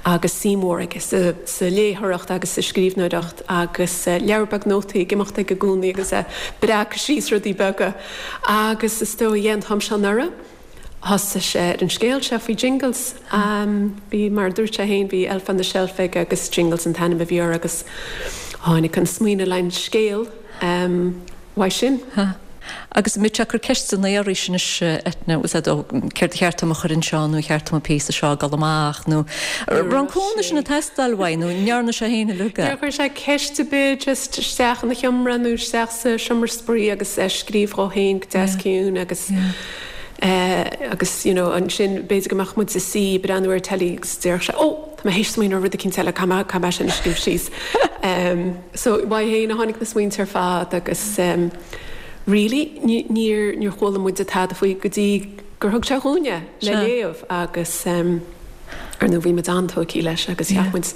agus suim mhór aige sa, sa léitheoireacht agus sa scríbhneoireacht agus leabhar beag nótaí ag imeacht aige i gcónaí agus é ag breacadh síos rudaí beaga agus is dóigh, yeah, an t-am seo anuraidh. Thosaigh sé ar an scéal seo faoi Jingles. Bhí, mar a dúirt sé féin, bhí Elf on the Shelf aige agus Jingles an t-ainm a bhí air agus tháinig an smaoineamh le an scéal uaidh sin. Agus an mbíonn sé ag cur ceisteanna oraibhse anois, Eithne, bhfuil 's a'd, ó, céard a cheart dom a chur anseo nó ar cheart dom an píosa seo a dhul amach nó raibh an cúnamh sin ag teastáil uaidh nó an ndearna sé féin uilig é? Níor chuir sé ceist ar bith, just isteach ina sheomra nó isteach sa seomra spraoi agus é ag scríobh dhó féin go deas ciúin agus. Agus you know ansin b'fhéidir go mbeadh muid ina suí ag breathnú ar telly agus déarfadh sé oh tá mé théis smaoineamh ar rud eicínt eile caithfidh mé caithfidh mé sin a scríobh síos. So uaidh féin a tháinig na smaointe ar fad agus really níor níor chuala muide tada faoi go dtí gur thug sé dhúinn é le léamh agus ar ndóigh bhí muid an-tógtha leis agus cheap muid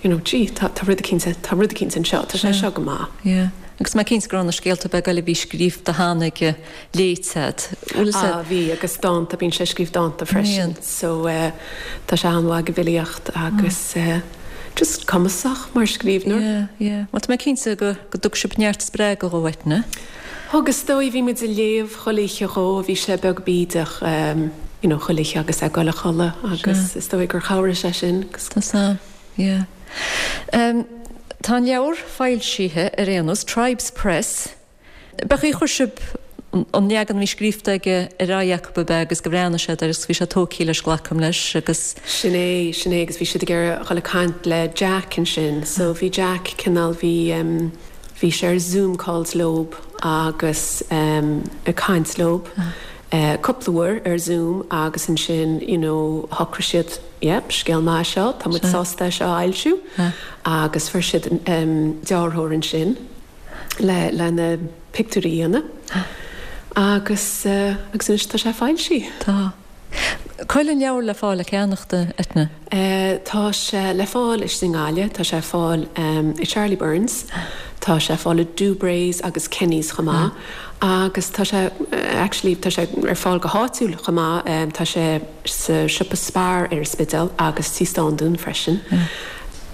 you know gee tá tá rud eicínt tá rud eicínt anseo tá sé seo go maith. Yeah. Agus mé cinnte go raibh na scéalta beaga eile a bhí scríofa cheana aige léite a'd. Bhfuil 'fhios Ah bhí, agus dánta, bíonn sé ag scríobh dánta freisin so tá sé an-mhaith ag an bhfilíocht agus just cumasach mar scríbhneoir. Yeah, yeah. Bhuel tá mé cinnte go go dtug sibh neart spreagadh dhó, Eithne. Thug, is dóigh, bhí muid ag léamh chuile oíche dhó, bhí sé beag bídeach you know chuile oíche agus é ag dul a chodladh agus is dóigh gur chabhraigh sé sin agus. Tá 's a'm, yeah. Tá an leabhar foilsithe ar aon nós, Tribes Press, B'é chaoi chuir sibh an leagan a bhí scríofa aige ar aghaidh acu ab ea agus gur bhreathnaigh siad air agus bhí sé tógtha leis, glacaim leis, agus. Sin é, sin é agus bhí siad ag iarraidh a dhul ag caint le Jack ansin so bhí Jack cineál, bhí em bhí sé ar Zoom calls leob agus em ag caint leob eh cúpla uair ar Zoom agus ansin you know shocraigh siad yeah scéal maith é seo, tá muid sásta é seo a fhoilsiú agus fuair siad em dearthóir ansin. le le na pictiúirí a dhéanamh agus agus anois tá sé foilsithe. Tá. Cá bhfuil an leabhar le fáil le ceannacht, a Eithne? Tá sé le fáil istigh i nGaillimh, tá sé ar fáil i Charlie Byrne's, tá sé ar fáil i Dubre's agus Kenny's chomh maith agus tá sé actually tá sé ar fáil go háitiúil chomh maith, tá sé sa siopa Spar ar an Spidéal agus Tí Standún freisin.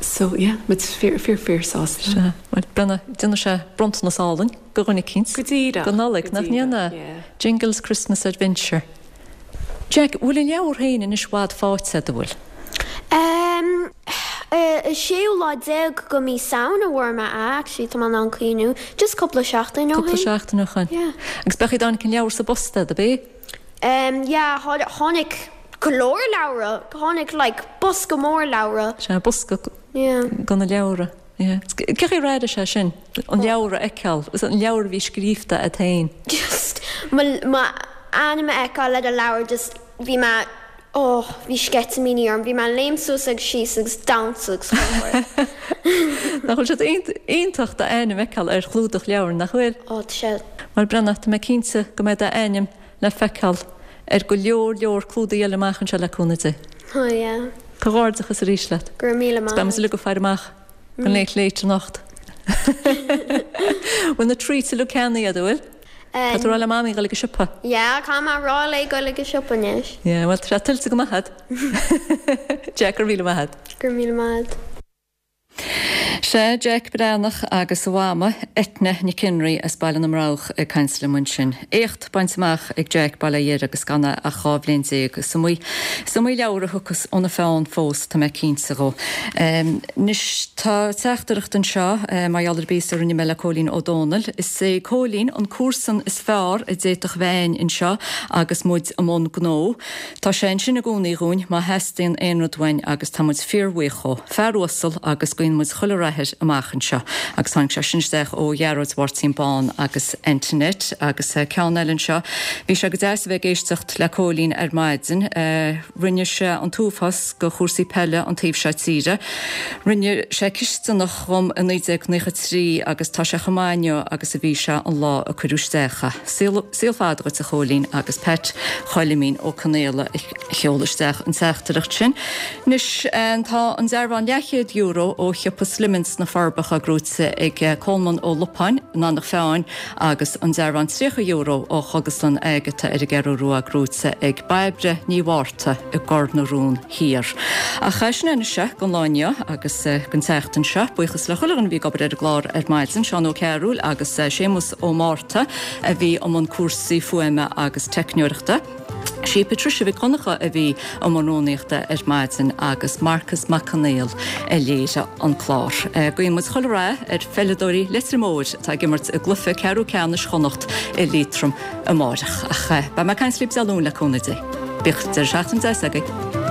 So yeah, muid fíor fíor fíor sásta. Sea. Bhuel, Brenna, déanfaidh sé bronntanas álainn do dhuine eicínt. Go díreach. Don Nollaig, nach ndéanfaidh? Yeah. Jingles Christmas Adventure. Jack, bhfuil an leabhar féin anois i bhfad faighte agat, an bhfuil? Ehm, an séú lá déag go mí Samhain a bhfuair mé é, actually, tá mé in ann cuimhniú. Just cúpla seachtain ó shin. Cúpla seachtain ó shin. Yeah. Agus b'é chaoi a dtáinig an leabhar sa bpost agat, ab é? Ehm, yeah, tháinig go leor leabhra. Tháinig like bosca mór leabhra. Sea, bosca Yeah. go na leabhra. Cén chaoi ar airigh sé sin, an leabhar a fheiceáil, an leabhar a bhí scríofa agat féin? Just m'ainm a fheiceáil ar an leabhar just bhí mé, oh, bhí sceitimíní orm, bhí mé ag léim suas agus síos agus damhsa agus chuile shórt. Nach bhfuil sé iontach d'ainm a fheiceáil ar chlúdach leabhair, nach bhfuil? Oh, tá sé. Bhuel, Brenna, tá mé cinnte go mbeidh d'ainm le feiceáil ar go leor leor clúdaigh eile amach anseo le cúnamh Dé. Oh yeah. Comhghairdeachas arís leat. Go raibh míle maith Beidh muid uilig ag faire amach don Late Late anocht. Bhfuil na treats uilig ceannaithe agat, an bhfuil? Tá tú ag rá le Mamaí dhul ag an siopa? Yeah, caithfidh mé a rá léi dhul ag an siopa anois. Yeah, bhuel, tá sé tuillte go maith agat. Jack, go raibh míle maith agat. Go raibh míle maith agat. Sea, Jeaic Breathnach agus a mhama, Eithne Nic Fhionnraoigh as Baile na mBroghach ag caint liom ansin. Éacht bainte amach ag Jeaic Baile Átha Dheirge agus gan é ach 12 bhliain. Is iomaí, is iomaí leabhar a thiocfas óna pheann fós, tá mé cinnte dhó. Anois, tá teachtaireacht anseo mar gheall ar an bpíosa a rinne mé le Cóilín Ó Dónaill. Is é Cóilín an comharsan is fearr a d'fhéadfadh a bheith a'inn anseo agus muid i mbun gnó. Tá sé ansin i gcónaí dhúinn má theastaíonn aon rud uainn agus tá muid fíorbhuíoch dhó. Fear uasal agus guíonn muid chuile rath air amach anseo. Agus tháinig sé sin isteach ó Ghearóid Mháirtín Bán agus Antoinette. Agus ceann eile anseo, bhí sé go deas a bheith ag éisteacht le Cóilín ar maidin. Rinne sé an t-uafás go chúrsaí peile an taobh seo tíre. Rinne sé cisteanach dhom i 1993 agus tá sé chomh maith inniu agus a bhí sé an lá a cuireadh isteach é. Saol fada dhuit a Chóilín agus Pat Choilimín Ó Conaola a sheol isteach an teachtaireacht sin. Anois tá an dearbhán leathchéad euro ó shiopa Slimmins sna Forbacha gnóite ag Colmán Ó Lupáin in Eanach Mheáin agus an dearbhán €30 ó Chógaslann Agatha ar an gCeathrú Rua gnóite ag Bairbre Ní Mhárta i gCor na Rón Thiar. Ach sin é anois é don lá inniu agus don tseachtain seo. Buíochas le chuile dhuine a bhí ag obair ar an gclár ar maidin, Seán Ó Cearúil agus Séamus Ó Márta a bhí i mbun cúrsaí fuaime agus teicneoireachta. Sí Patricia Mhic Dhonncha a bhí i mbun rúnaíochta ar maidin agus Marcus Mac Conghail a léirigh an clár. Guíonn muid chuile rath ar pheileadóirí Leitir Móir atá ag imirt i gcluiche ceathrú ceannais Chonnacht i Liatroim amárach. Ach beidh mé ag caint libh Dé Luain le cúnamh Dé. Bíodh deireadh seachtaine deas agaibh.